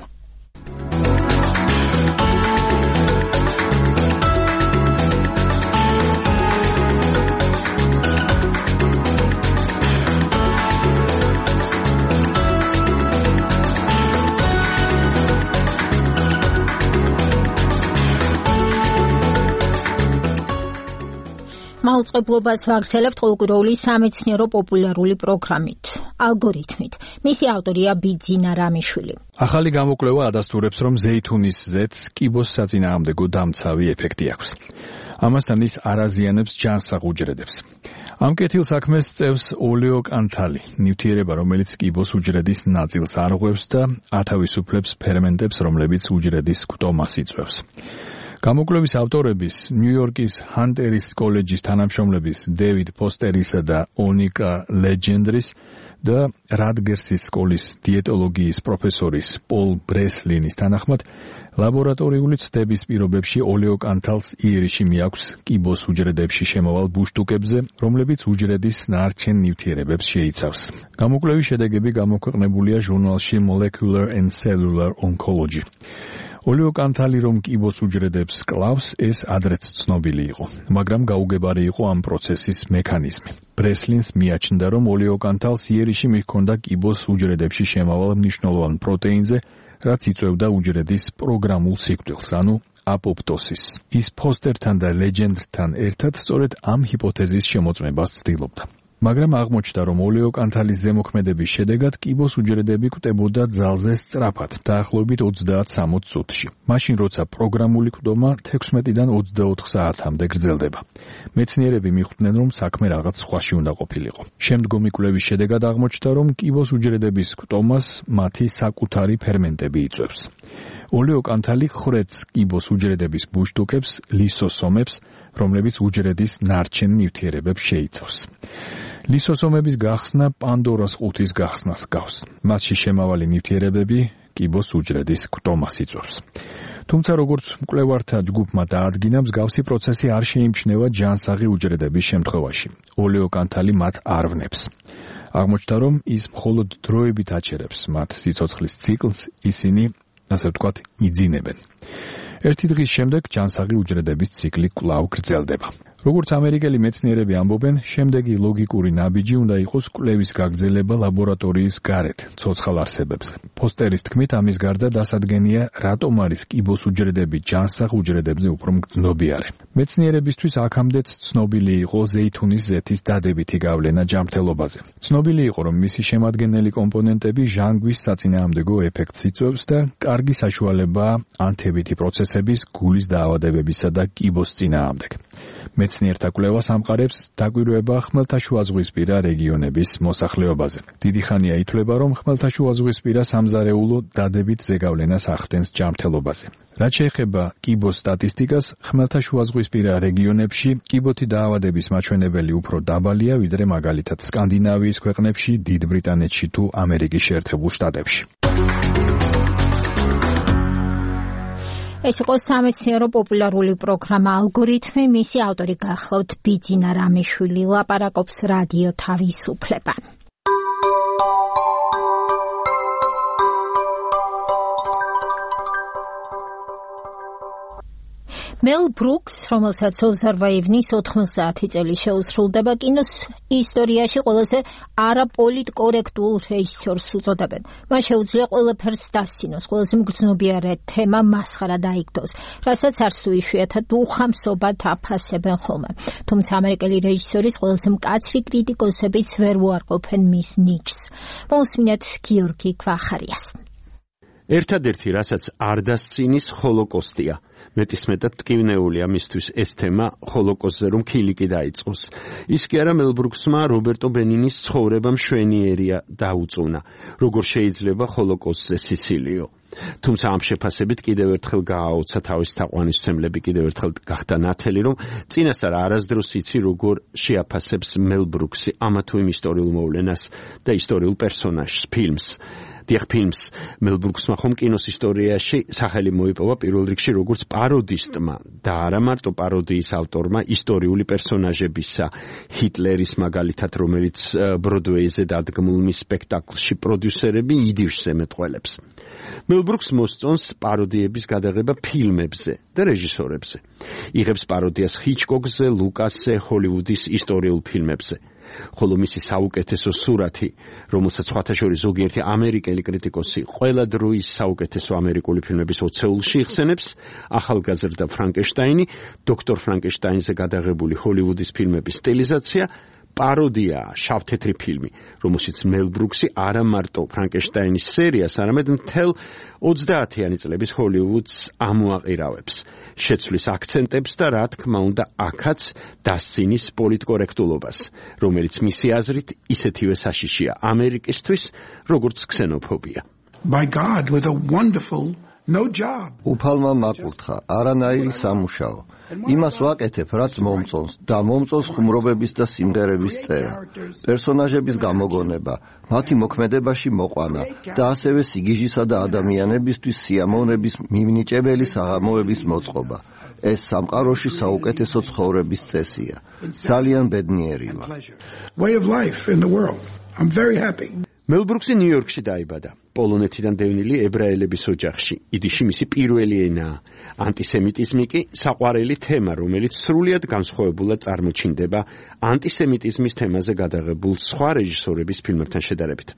მაუწყებლობას ვაგრძელებთ ყოველკვირეული სამეცნიერო პოპულარული პროგრამით, ალგორითმით. მისი ავტორია ბიძინა რამიშვილი. ახალი გამოკვლევა ადასტურებს, რომ ზეითუნის ზეთს კიბოს საწინააღმდეგო დამცავი ეფექტი აქვს. ამასთან ის არ აზიანებს ჯანსაღ უჯრედებს. ამ კეთილსაქმეს წევს ოლეოკანთალი, ნივთიერება, რომელიც კიბოს უჯრედის ნაწილს არღვევს და ათავისუფლებს ფერმენტებს, რომლებიც უჯრედის კვტომას იწვევს. გამოკვლევის ავტორების ნიუ-იორკის ჰანტერის კოლეჯის თანამშრომლების დევიდ ფოსტერისა და ონიკა ლეჯენდრის და რატგერსის სკოლის დიეტოლოგიის პროფესორის პოლ ბრესლინის თანახმად ლაბორატორიული ცდების პირობებში ოლეოკანთალს იერიში მიაქვს კიბოს უჯრედებში შემავალ ბუშტუკებზე, რომლებიც უჯრედის ნარჩენ ნივთიერებებს შეიცავს. გამოკვლევის შედეგები გამოქვეყნებულია ჟურნალში Molecular and Cellular Oncology. ოლეოკანთალი რომ კიბოს უჯრედებს კლავს, ეს ადრეც ცნობილი იყო, მაგრამ გაუგებარი იყო ამ პროცესის მექანიზმი. ბრესლინს მიაჩნდა, რომ ოლეოკანთალს იერიში მიჰქონდა კიბოს უჯრედებში შემავალ მნიშვნელოვან პროტეინზე, რაც იწვევდა უჯრედის პროგრამულ სიკვდილს, ანუ აპოპტოსისს. ის ფოსტერთან და ლეჯენდთან ერთად სწორედ ამ ჰიპოთეზის შემოწმებას ცდილობდა. მაგრამ აღმოჩნდა, რომ ოლეოკანთალის ზემოქმედების შედეგად კიბოს უჯრედები კვდებოდა ძალზე სწრაფად, დაახლოებით ოცდაათ სამოცდ წუთში. მაშინ, როცა პროგრამული კვდომა თექვსმეტიდან ოცდაოთხ საათამდე გრძელდება. მეცნიერები მიხვდნენ, რომ საქმე რაღაც სხვაში უნდა ყოფილიყო. შემდგომი კვლევის შედეგად აღმოჩნდა, რომ კიბოს უჯრედების კვდომას მათი საკუთარი ფერმენტები იწვევს. ოლეოკანთალი ხრեց კიბოს უჯრედების ბუშტუკებს, ლისოსომებს, რომლებიც უჯრედის ნარჩენ ნივთიერებებს შეიცავს. ლისოსომების გახსნა პანდორას ყუთის გახსნას გავს. მასში შემავალი ნივთიერებები კიბოს უჯრედის კვდომას იწვევს. თუმცა როგორც მკვლევართა ჯგუფმა დაადგინა, მსგავსი პროცესი არ შეიმჩნევა ჯანსაღი უჯრედების შემთხვევაში. ოლეოკანთალი მათ არ ვნებს. აღმოჩნდა, რომ ის მხოლოდ დროებით აჩერებს მათ სიცოცხლის ციკლს, ისინი ასე ვთქვათ, იძინებენ. ერთი დღის შემდეგ ჯანსაღი უჯრედების ციკლი კვლავ გრძელდება. როგორც ამერიკელი მეცნიერები ამბობენ, შემდეგი ლოგიკური ნაბიჯი უნდა იყოს კვლევის გაგრძელება ლაბორატორიის გარეთ, ცოცხალ არსებებზე. ფოსტერის თქმით, ამის გარდა დასადგენია, რატომ არის კიბოს უჯრედები ჯანსაღ უჯრედებზე უფრო მგრძნობიარე. მეცნიერებისთვის აქამდეც ცნობილი იყო ზეითუნის ზეთის დადებითი გავლენა ჯანმრთელობაზე. ცნობილი იყო, რომ მისი შემადგენელი კომპონენტები ჟანგვის საწინააღმდეგო ეფექტს იწვევს და კარგი საშუალებაა ანთებითი პროცესების, გულის დაავადებებისა და კიბოს წინააღმდეგ. მეცნიერთა კვლევას ამყარებს დაკვირვება ხმელთაშუაზღვისპირა რეგიონების მოსახლეობაზე. დიდი ხანია ითვლება, რომ ხმელთაშუაზღვისპირა სამზარეულო დადებით ზეგავლენას ახდენს ჯანმრთელობაზე. რაც შეეხება კიბოს სტატისტიკას, ხმელთაშუაზღვისპირა რეგიონებში კიბოთი დაავადების მაჩვენებელი უფრო დაბალია, ვიდრე მაგალითად სკანდინავიის ქვეყნებში, დიდ ბრიტანეთში თუ ამერიკის შეერთებულ შტატებში. ეს იყო სამეცნიერო პოპულარული პროგრამა ალგორითმი, მისი ავტორი გახლავთ ბიძინა რამიშვილი, ლაპარაკობს რადიო თავისუფლება. მელ ბრუკს, რომელსაც ოცდაოთხ ივნის ოთხმოცდაათი წელი შეუსრულდება, კინოს ისტორიაში ყველაზე არაპოლიტკორექტულ რეჟისორს უწოდებენ. მას შეუძლია ყველაფერს დასცინოს, ყველაზე მგრძნობიარე თემა მასხარა დაიგდოს, რასაც არც თუ იშვიათად უხამსობად აფასებენ ხოლმე. თუმცა ამერიკელი რეჟისორის ყველაზე მკაცრი კრიტიკოსებიც ვერ უარყოფენ მის ნიჭს. მოსმინეთ გიორგი ქვახარიას. ერთადერთი, რასაც არ დასცინის, ჰოლოკოსტია. მეტისმეტად ტკივნეულია მისთვის ეს თემა ჰოლოკოსტზე რომ ქილიკი დაიწყოს. ის კი არა მელ ბრუქსმა რობერტო ბენინის ცხოვრება მშვენიერია დაუწუნა. როგორ შეიძლება ჰოლოკოსტზე სიცილიო? თუმცა ამ შეფასებით კიდევ ერთხელ გააოცა თავის თაყვანისმცემლები, კიდევ ერთხელ გახდა ნათელი, რომ წინასწარ არასდროს იცი როგორ შეაფასებს მელ ბრუქსი ამა თუ იმ ისტორიულ მოვლენას და ისტორიულ პერსონაჟს, ფილმს. დიახ, ფილმს მელ ბრუქსმა ხომ კინოს ისტორიაში სახელი მოიპოვა პირველ რიგში როგორც პაროდისტმა და არა მარტო პაროდიის ავტორმა ისტორიული პერსონაჟებისა, ჰიტლერის მაგალითად, რომელიც ბროდვეიზე დადგმულ მის სპექტაკლში პროდიუსერები იდიშს ემეტყველებს. მელ ბრუქს მოსწონს პაროდიების გადაღება ფილმებზე და რეჟისორებზე. იღებს პაროდიას ჰიჩკოკზე, ლუკასზე, ჰოლივუდის ისტორიულ ფილმებზე. ხოლო მისი საუკეთესო სურათი, რომელსაც სხვათა შორის ზოგიერთი ამერიკელი კრიტიკოსი ყველა დროის საუკეთესო ამერიკული ფილმების ოცეულში იხსენებს, ახალგაზრდა ფრანკენშტაინი, დოქტორ ფრანკენშტაინზე გადაღებული ჰოლივუდის ფილმების სტილიზაცია, პაროდიაა, შავთეთრი ფილმი, რომელშიც მელ ბრუქსი არა მარტო ფრანკენშტაინის სერიას, არამედ მთელ ოცდაათიანი წლების ჰოლივუდს ამოაყირავებს, შეცვლის აქცენტებს და რა თქმა უნდა აქაც დასცინის პოლიტკორექტულობას, რომელიც მისი აზრით ისეთივე საშიშია ამერიკისთვის, როგორც ქსენოფობია. By God, with a wonderful no job. უფალმა მაკურთხა, არანაირი სამუშაო. იმას ვაკეთებ, რაც მომწონს და მომწონს ხუმრობების და სიმღერების წერა, პერსონაჟების გამოგონება, მათი მოქმედებაში მოყვანა და ასევე სიგიჟისა და ადამიანებისთვის სიამოვნების მიმნიჭებელი საღამოების მოწყობა. ეს სამყაროში საუკეთესო ცხოვრების წესია. ძალიან ბედნიერია. Way of life in the world. I'm very happy. მელ ბრუქსი ნიუ-იორკში დაიბადა, პოლონეთიდან დევნილი ებრაელების ოჯახში. იდიში მისი პირველი ენაა. ანტისემიტიზმი კი საყვარელი თემა, რომელიც სრულიად განსხვავებულად წარმოჩინდება ანტისემიტიზმის თემაზე გადაღებულ სხვა რეჟისორების ფილმებთან შედარებით.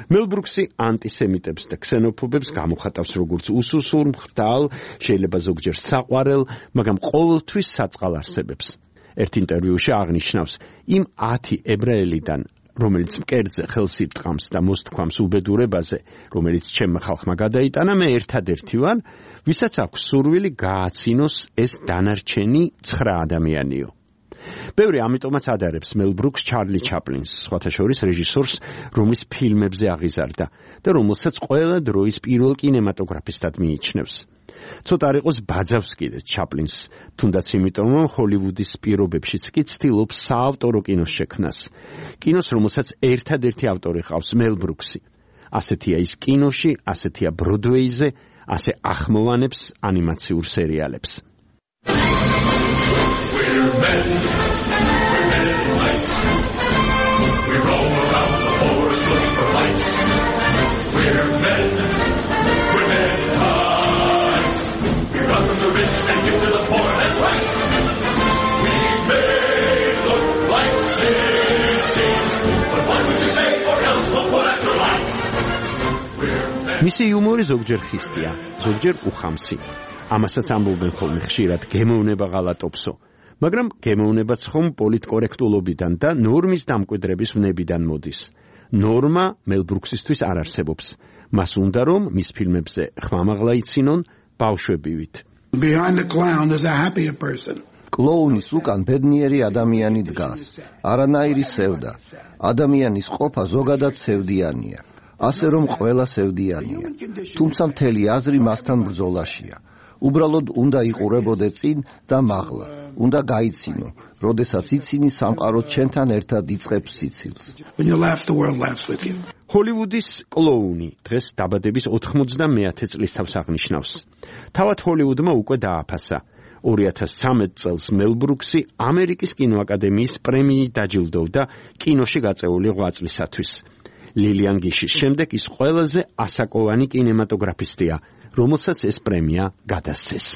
მელ ბრუქსი ანტისემიტებს და ქსენოფობებს გამოხატავს როგორც უსუსურ, მხდალ, შეიძლება ზოგჯერ საყვარელ, მაგრამ ყოველთვის საწყალ არსებებს. ერთ ინტერვიუში აღნიშნავს, იმ ათი ებრაელიდან რომელიც მკერდზე ხელს ირტყამს და მოსთქვამს უბედურებაზე, რომელიც ჩემმა ხალხმა გადაიტანა, მე ერთადერთი ვარ, ვისაც აქვს სურვილი გააცინოს ეს დანარჩენი ცხრა ადამიანიო. ბევრი ამიტომაც ადარებს მელ ბრუქს ჩარლი ჩაპლინს, სხვათა შორის რეჟისორს, რომლის ფილმებზე აღიზარდა და რომელსაც ყველა დროის პირველ კინემატოგრაფისტად მიიჩნევს. ცოტა არ იყოს ბაძავს კიდე ჩაპლინს, თუნდაც იმიტომ, რომ ჰოლივუდის პირობებშიც კი ცდილობს საავტორო კინოს შექმნას. კინოს, რომელსაც ერთადერთი ავტორი ყავს მელ ბრუქსი. ასეთია ის კინოში, ასეთია ბროდვეიზე, ასე ახმოვანებს ანიმაციურ სერიალებს. We're men, we're men in tights. We roam around the forest looking for lights. We're men, we're men in tights. We run from the rich and give to the poor, that's right. We may look like sissies, but what would you say or else we'll pull at your lights. მისი იუმორი ზოგჯერ ხისტია, ზოგჯერ უხამსი. ამასაც ამბობენ ხოლმე ხშირად გემოვნება ღალატობსო. მაგრამ გემოვნებაც ხომ პოლიტკორექტულობიდან და ნორმის დამკვიდრების ვნებიდან მოდის. ნორმა მელ ბრუქსისთვის არ არსებობს. მას უნდა რომ მის ფილმებზე ხმამაღლა იცინონ ბავშვებივით. Behind the clown is a happier person. კლოუნის უკან ბედნიერი ადამიანი დგას. არანაირი სევდა. ადამიანის ყოფა ზოგადად სევდიანია. ასე რომ ყველა სევდიანია. თუმცა მთელი აზრი მასთან ბრძოლაშია. უბრალოდ უნდა იყურებოდე წინ და მაღლა. უნდა გაიცინო, როდესაც იცინი სამყარო ჩვენთან ერთად იწყებს სიცილს. When you laugh, the world laughs with you. ჰოლივუდის კლოუნი დღეს დაბადების ოთხმოცდამეათე წლის თავს აღნიშნავს. თავად ჰოლივუდმა უკვე დააფასა. ორი ათას ცხრამეტ წელს მელ ბრუქსი ამერიკის კინოაკადემიის პრემიით დაჯილდოვდა კინოში გაწეული ღვაწლისათვის. ლილიან გიშის შემდეგ ის ყველაზე ასაკოვანი კინემატოგრაფისტია, რომელსაც ეს პრემია გადასცეს.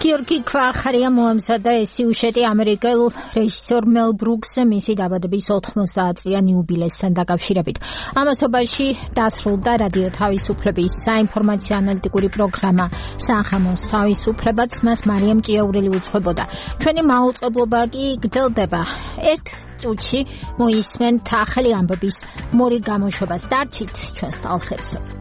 გიორგი ქვახარია მოამზადა ეს სიუჟეტი ამერიკელ რეჟისორ მელ ბრუკს მისი დაბადების ოთხმოცდაათწლიან იუბილესთან დაკავშირებით. ამასობაში დასრულდა რადიო თავისუფლების საინფორმაციო ანალიტიკური პროგრამა სახამოს თავისუფლებაც მას მარიამ ჭიაურელი უძღვებოდა. ჩვენი მაუწყებლობა კი გრძელდება. ერთ წუთში მოისმენთ ახალი ამბების მორი გამოშვებას. დარჩით ჩვენს ტალღებზე.